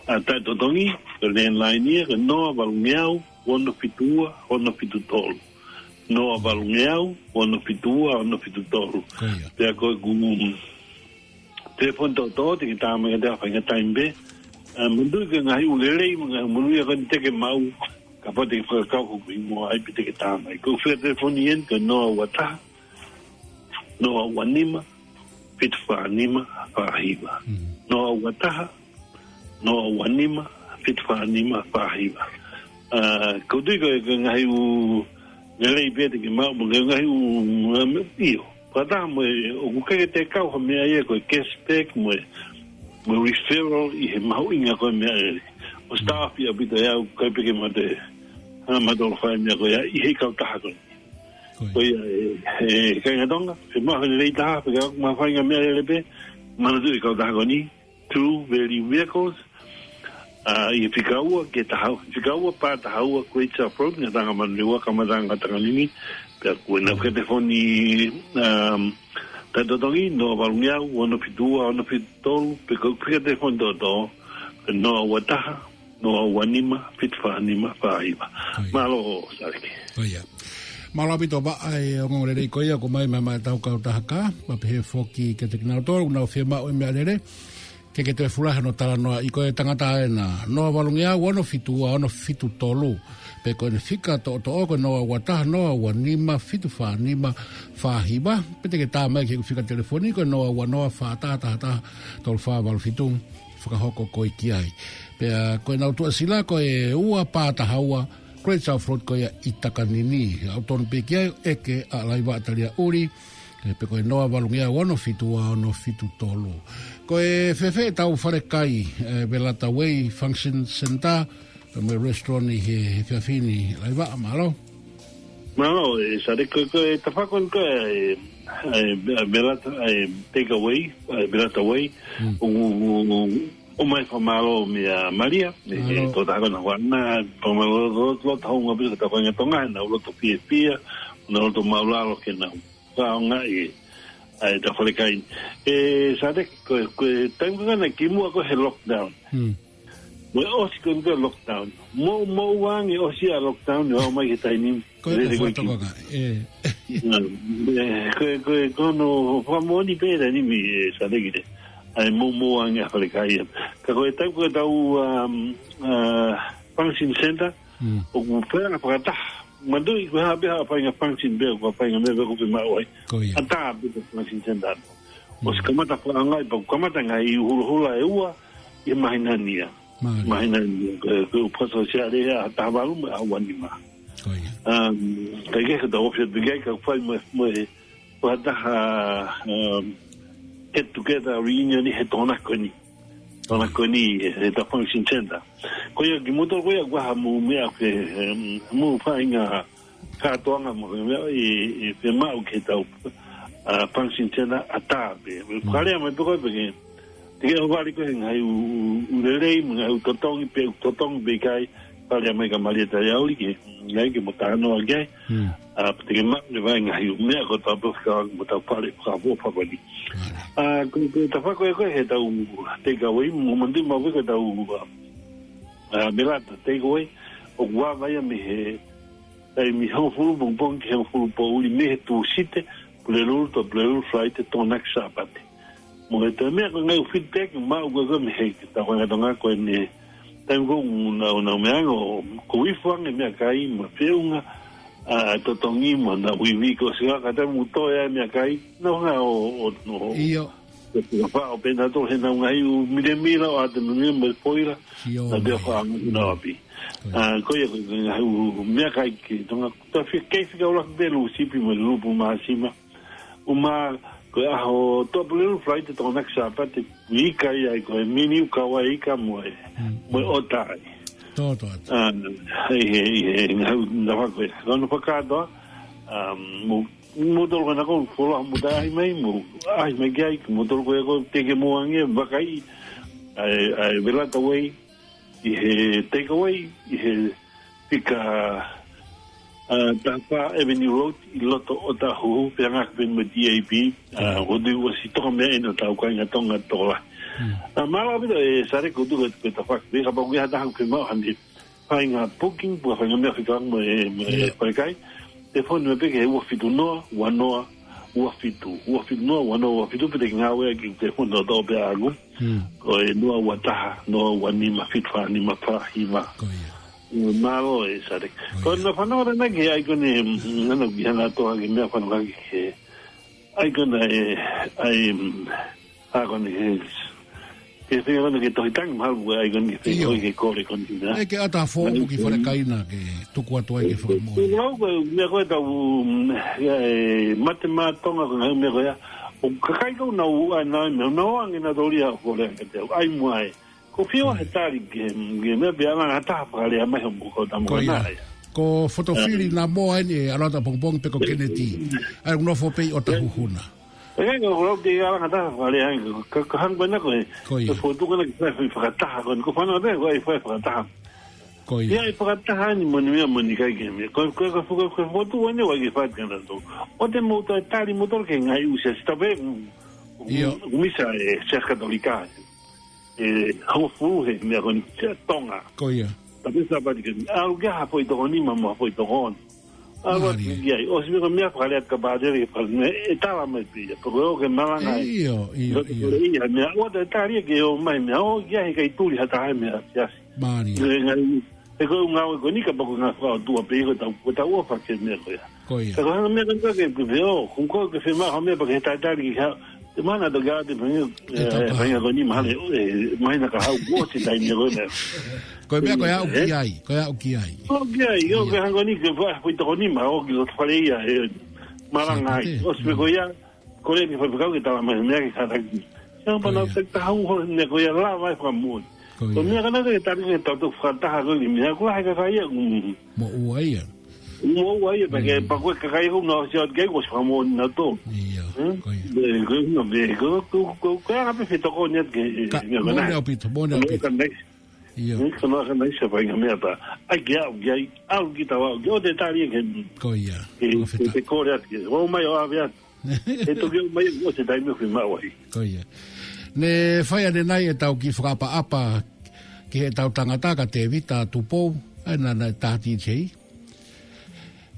ʻa, taʻetotongi, ko e landline ia, ko e noa valungeau, ono fitu ua, ono fitu tolu. Noa valungeau, ono fitu ua, ono fitu tolu. Ko ia. Pea ko e ku, telefoni toʻotoʻo, te ke tā mai kiate au ha faʻahinga taimi pē. ʻA, manatuʻi ko e ngaahi ʻū lelei, mo e ngaahi ʻū monūʻia ko eni te ke maʻu, kapau te ke fakakaukau ko e ʻi muʻa ai pē te ke tā mai. Ko e fika telefoni eni, ko e noa ua taha, noa ua nima, fitu fā nima, fā hiva. Mm. Noa ua taha, noa ua nima, fitu fā nima, fā hiva. ʻA, ʻoku ou tui ko e, ko e ngaahi ʻū lelei pē te ke maʻu, mo e ngaahi ʻū, um, ʻio. Fakataha mo e, ʻoku ʻikai ke te kau ha meʻa ia ko e cashback mo e, mo e referral ʻi he mahuʻinga ko ē meʻalele. ʻOsi taʻofi ʻaupito ʻe au, ʻikai pē ke mate, ha matolo fai meʻa ko ia, ʻi he kautaha ko ē. Ko ia. Ko ia, e, e, kāinga Tonga, fiemaʻu ha lelei taha, pea ka ʻoku mahuʻinga meʻalele pē, manatuʻi e kautaha ko eni, True Value Vehicles, ʻa, ʻi he fika ua ki he taha, fika ua pā taha ua Great South Road, Ngataʻanga Manurewa, Kamataʻanga Takanini, Pea ko ʻenau fika telefoni, um, taʻetotongi, noa valu ngeau, ono fitu ua, ono fitu tolu, pe ko e fika telefoni toʻotoʻo, noa ua taha, noa ua nima, fitu fā nima, fā hiva. ʻIo. Mālō, Sāleki. ʻIo. Mālō ʻaupito ʻa e ongoongo lelei ko ia ʻoku ʻomai mei he tau kautaha kā, pea pehē foki kiate kinautolu ʻoku nau fiemaʻu e meʻalele, ke ke toe fulahi hono talanoaʻi ko e tangata ena, noa valu ngeau, ono fitu ua, ono fitu tolu. Pe ko ʻene fika toʻotoʻo ko e noa ua taha, noa ua nima, fitu fā nima, fā hiva. Pe te ke tā mai ki heʻeku fika telefoni ko e noa ua noa, fā taha taha taha, tolu fā valu fitu. Fakahoko koe ki ai. Pea ko ʻenau tuʻasila ko e ua pā taha ua, Great South Road ko ia ʻi Takanini. ʻOku tonu pē ki ai ʻeke ʻa Laiva Talia Uli, ē, pe ko e noa valu ngeau, ono fitu ua, ono fitu tolu. Ko e fēfē ʻetau falekai, ē, Velata Way Function Center, pea mo e restaurant ʻi he, he efiafi ni, Laiva, mālō. Mālō, ē, Sāleki, ko e, ko e tafaʻaki ko ē, ē, ē, Velata, ē, Takeaway, ē, Velata Way, Mm. ʻo, ʻo, ʻo, ʻomai fakamālō meia Malia, ē, Mālō. Ko e taha ko ena ʻoku na fakamālō, lo, lo, lo, tau ngā pisa, tau ngā Tonga, nau loto fiefia, nau loto māʻulalo ke nau fakaʻaongaʻi ʻa e tau falekai. Ē, Sāleki, ko, ko e taimi ko ena kimuʻa ko ē he lockdown. Mm. Mo e ʻosi ko ē ko e lockdown. Mo, mo uange ʻosi ʻa e lockdown, ʻo aʻu mai ki he taimi ni. Ko e Lele ko e ko e ki. Tokonga, ē. Mm. Ē, ko e, ko e, ko hono fakamoʻoni pē taimi ni, ē, Sāleki, ē. ʻA e mo, mo uange ʻa e falekai. Ka ko e taimi ko ē tau, um, uh, function center, Mm. ʻoku fai ʻa e fakataha. Manatuʻi ko e hā pē ha faʻahinga function pē, ko e faʻahinga meʻa pē ʻoku fiemaʻu ai. Ko ia. ʻAtā pē ko e function center. Mm. ʻOsi kamata fakaʻaongaʻi, pea kamata ngaahi ʻū hulohula ʻe ua ʻi he māhina ni ia. Mālie. Māhina ni ia, ko e, ko e ʻū fakasōsiale ʻa e taha valu mo e ua nima. Ko ia. Um, ka ʻi he kau ofisa pē ki ai, ka fai mo, mo e, fakataha, um, get together reunion ʻi he Tokonaki ko eni. Tokonaki ko eni, ē, he ta function center. Ko ia kimuʻa ko ia ʻoku ʻi ai ha mou meʻa ke, em, mou faʻahinga kātoanga mo e meʻa ʻi, ʻi he maʻu ke tau, ā, function center ʻatā pē. Mm. Fakalea mai pē ko ē pē ke, te ke ʻohovale ko ē he ngaahi ʻū, ʻū lelei, mo e ngaahi ʻū totongi pē, ʻū totongi pē ʻikai, fakalea mai kia Malia Talia Uli ke, ngaahi ke mo talanoa ki ai. Mm. Ā, pea te ke maʻu leva e ngaahi ʻū meʻa ko ē tau pē fika mo tau fale fakaʻofoʻofa ko eni. Mālie. Ā, ko, ko e tafaʻaki ko ē ko ē he tau Takeaway, mou manatuʻi maʻu pē ko e tau, ā, ā, Velata Takeaway, ʻoku ava ia mei he taimi hongofulu pongipongi ki he hongofulu poʻuli mei he Tūsite, Pulelulu, to Pulelulu, Falaite, Tokonaki, Sāpate. Mo e toe meʻa ko e ngaahi ʻū feedback maʻu ko ē ko ē mei he tau kāinga Tonga ko eni, taimi ko ē ʻoku nau, nau meʻa ange ʻoku ifo ange meʻakai mo e feʻunga, ā, totongi mo e ngaahi ivi ko ē ʻosi ka taimi ʻoku toe ai meʻakai, nau hanga ʻo, ʻo, ʻo, ʻIo. ʻo, ʻo faʻo pē nautolu he nau ngaahi ʻū milemila ʻo ʻatamimile mo e foila, Sio, nau te mai. Faʻahinga ʻapi. Ko ia. Ā, ko ia ko e ngaahi ʻū meʻakai ki Tonga, tau fie kei fika ʻuluaki pē Lūsipi mo e Lulupu Māsima. ʻUmā, ko e ʻaho to Pulelulu, Falaite, Tokonaki, Sāpate, ʻikai ai ko e mini ʻū kau ai ika mo e, Mm. mo e ʻota ai. Tō, tō, tō. Ā, ʻi he, ʻi he, ngaahi ʻū nafa ko ē. Ko hono fakakātoa, ā, mo, mo tolo kana ko foloa mo ta ʻaʻahi mai, mo ʻaʻahi mai ki ai, mo tolo ko ē ko e teke mo ange, vakai, ʻa e, ʻa e Velata Way, ʻi he Takeaway, ʻi he fika, ā, taha fā Avenue Road, ʻi loto ʻOtahuhu, pea ngāueʻaki pē mo e D A B, ā, ʻoku ʻosi toko meʻa ʻeni ʻo tau kāinga Tonga tokolahi. Hmm. Ā, mālō ʻaupito ē Sāleki, ko e tuku atu ko e tafaʻaki, kapau ʻoku ʻi ai ha taha ʻoku fiemaʻu haʻane faʻahinga booking, pe ko e faʻahinga meʻa fekauʻaki mo e, mo e Yes. falekai, telefoni mai pē ki he ua fitu noa, ua noa, ua fitu, ua fitu noa, ua noa, ua fitu, pe te ke ngāueʻaki e telefoni toʻotoʻo pē ʻaʻaku. Hmm. Ko e noa ua taha, noa ua nima, fitu fā nima, fā hiva. Ko ia. Mālō ē Sāleki. Ko ia. Ko e na fanongo ʻanenai ki he ʻaikoni, mm, ana ki hanga toa ki he meʻa fanongo ki he ʻaikoni ē, ʻai, mm, ʻaikoni he, ke feinga ko ena ke tohi tangi mahalo ko e ʻaikoni ke feinga ʻIo. ko ē ke kole ko eni, nā? ʻE ke ʻatā foʻou ki he falekai na ke tuku atu ai ke fakamoʻoni. Ko e meʻa ko ē tau, mm, ē, mate maʻa Tonga ko e ngaahi meʻa ko ia. ʻO kakai ko ē ʻoku nau ʻai nau meʻa, nau ange nautolu ia ʻo kole ange te au ʻai mo ai. Ko e fiemaʻu he tali ke, ke meʻa pea langa ha taha fakalea mai hoʻomou kau tama Ko ia. nā ia. Ko Fotofili Ā. Namoa eni ʻe ʻalu atu ʻapongipongi pe ko Kennedy. ʻAi ʻoku nofo pē ʻi ʻOtahuhu na. ʻE, ko lau te ia langa ha taha fakalea ai, ka, ka hangē ko ena ko e, Ko ia. ko e fotu ko ena ke fai fakataha ko eni, ko e fānau pē, ko e fai fakataha. Ko ia. Ia, ʻe fakataha ni mo e meʻa mo e ʻikai ke meʻa. Ko, ko, ko, ko, ko, ko, ko, tu wane wa ke fat kana to. ʻOua te mou toe tali mou tolu ke ngaahi ʻū siasi tape, ʻio, ʻū misa ʻe Siasi Katolika. ʻE, hau fuhe, meʻa ko eni, Siasi Tonga. Ko ia. Tape Sāpate ke, ʻalu ke ha foʻi tokoni ma, ma foʻi tokoni. ʻAlu atu ki ai, ʻosi meʻa ko e meʻa fakalea ka pātele ke fale meʻa, ʻe tala mai pē ia. Pea ko e ō ke malanga ai. ʻIo, ʻio, ʻio. Ko e ia, meʻa, ʻoua te tali ke ō mai, meʻa, ō ki ai he ʻikai tuli ha taha meʻa, siasi. Mālie. Meʻa, ngaahi, he ko e ngāue ko eni ka pako ngā fakaʻotua pē ko tau, ko tau ʻofa ke meʻa ko ia. Ko ia. Ka ko hanga meʻa ka ke, ke feo, ko ko ke fe ma ha meʻa pea ke talitali ki ha, te mana to gā te pangi, ʻe, tau ka pangi ko eni mahale, ʻe, mahina ka hau ko te taimi ko ia. Ko e meʻa ko e aʻu ki ai, ko e aʻu ki ai. Ko e aʻu ki ai, ʻio, ke hanga ni ke fa, ko i toko ni ma, ʻo ki loto fale ia, ʻe, malanga ai. Sāpate. ʻOsi pē ko ia, ko le ni fa pekau ke tala mai, meʻa ke kātaki. Siapa na te tahu ho, ne ko ia la vai fa mo. Ko ia. Ko meʻa kana ke tali ke tau to fakataha ko ni meʻa ko hai ka kai ia, mm. Mo ua ia. Mo ua ia, pea ke, pea ko e kakai ko na o sia ke ko si fa mo na to. Ia, ko ia. Be, ko, no, be, ko, ko, ko, ko, ka pe fetoko ni ke, ka, mo ne ʻaupito, mo ne ʻaupito. Ia. Ko na ka na isa pa inga meʻa ta. Ai ke au, ke ai, au ki tau au, ke o te tali ke. Ko ia. Ke, ko feta. Ke, ke kore atu ke. O mai o ave atu. E toki o mai o te taimi o fima wai. Ko ia. Ne fai ane nai e tau ki fakaʻapaʻapa ki he tau tangata ka Tevita Tupou, ai na na tahati tei.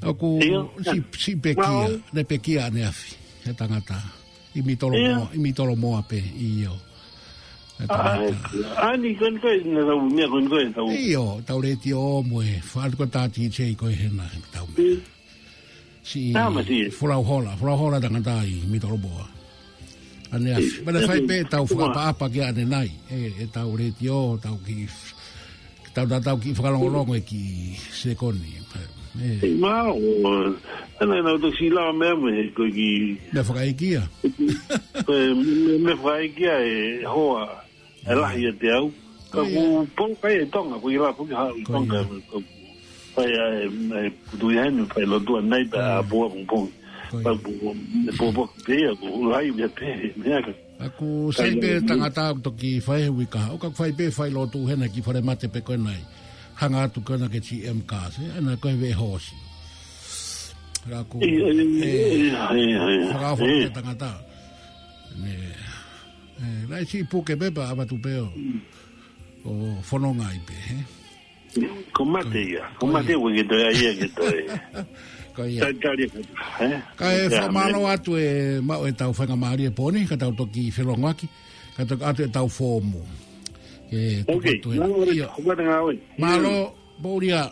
ʻOku si, si pekia, ne pekia ane afi, he tangata. ʻI Mitolomoa, ʻi Mitolomoa pē, ʻio. He tangata. Ani kon koe, na tau, mea kon koe, tau. ʻIo, tau letiō mo e, fātu ko tā D J ko e hena, tau mea. Si, folau hola, folau hola tangata ʻi Mitolomoa. Ane afi, mana fai pē tau fakaʻapaʻapa ki ane nai, e, e tau letiō, tau ki Tau, tau, tau ki fakalongolongo e ki sekoni. E. Mau, ana, ana, tau si la mea me, ko ki. Mea fakaikia. Ko e, me, me fakaikia e hoa, e lahi e te au. Ka ku pō kai e Tonga, ko i la pō ki ha i Tonga, ko fai a, e, e, putu i henu, fai lotu a nai, pea a pō a pō. Ka ku, pō pō ki pē, a ku lai via pē, mea ka. ʻOku sai pē tangata ʻoku toki fai he uike kahaʻu, ka fai pē fai lotu hena ki fale mate pē ko e nai. Hanga atu ko ena ke G M cars, ē, ana ko e veʻe hoosi. Ka ʻoku, ʻio, ʻio, ʻio, ʻio, ʻio. Fakaʻofa pē tangata. Ne, e, lai si puke pē pea avatu pē ʻo, ʻo fononga ai pē, ē. Ko mate ia, ko mate ua ke toe ai ia ke toe. Ko ia. Talitali, ē? Ka e fakamālō atu e maʻu e tau faingamālie pō ni, ka tau toki felongoaki, ka toki ʻoatu e tau foomu. Ke tuku atu e. Mālō, ʻio. Ko mate ngā ue. Mālō, Paulia.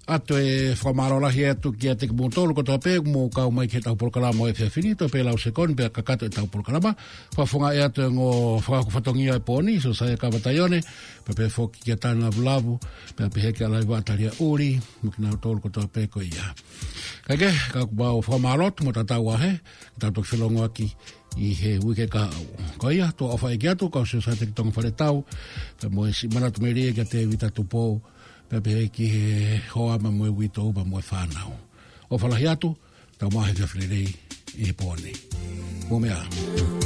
ʻOatu e fakamālō lahi atu kiate kimoutolu kotoa pē, mou kau mai ki he tau polokalama ʻo e efiafi ni, toe pē lau sekoni, pea kakato e tau polokalama. Fakafofongaʻi atu e ongo fakahoko fatongia e pō ni, Siosaia Kava Taione, pea pehē foki kia Tana Lavulavu, pea pehē kia Laiva Talia Uli, mo kinautolu kotoa pē ko ia. Kae kehe, ka ʻoku mau fakamālō atu mo tatau ā hē, tau toki felongoaki ʻi he uike kahaʻu. Ko ia, tau ʻofa ʻeiki atu, kau Siosaia Teki Tonga Faletau, pea mo e siʻi manatu melie kia Tevita Tupou, pea pehē ki he hoa ma mo e uitou ma mo e fānau. ʻOfa lahi atu, tau maʻu he efiafi lelei ʻi he pō ni. Mou meʻa ā.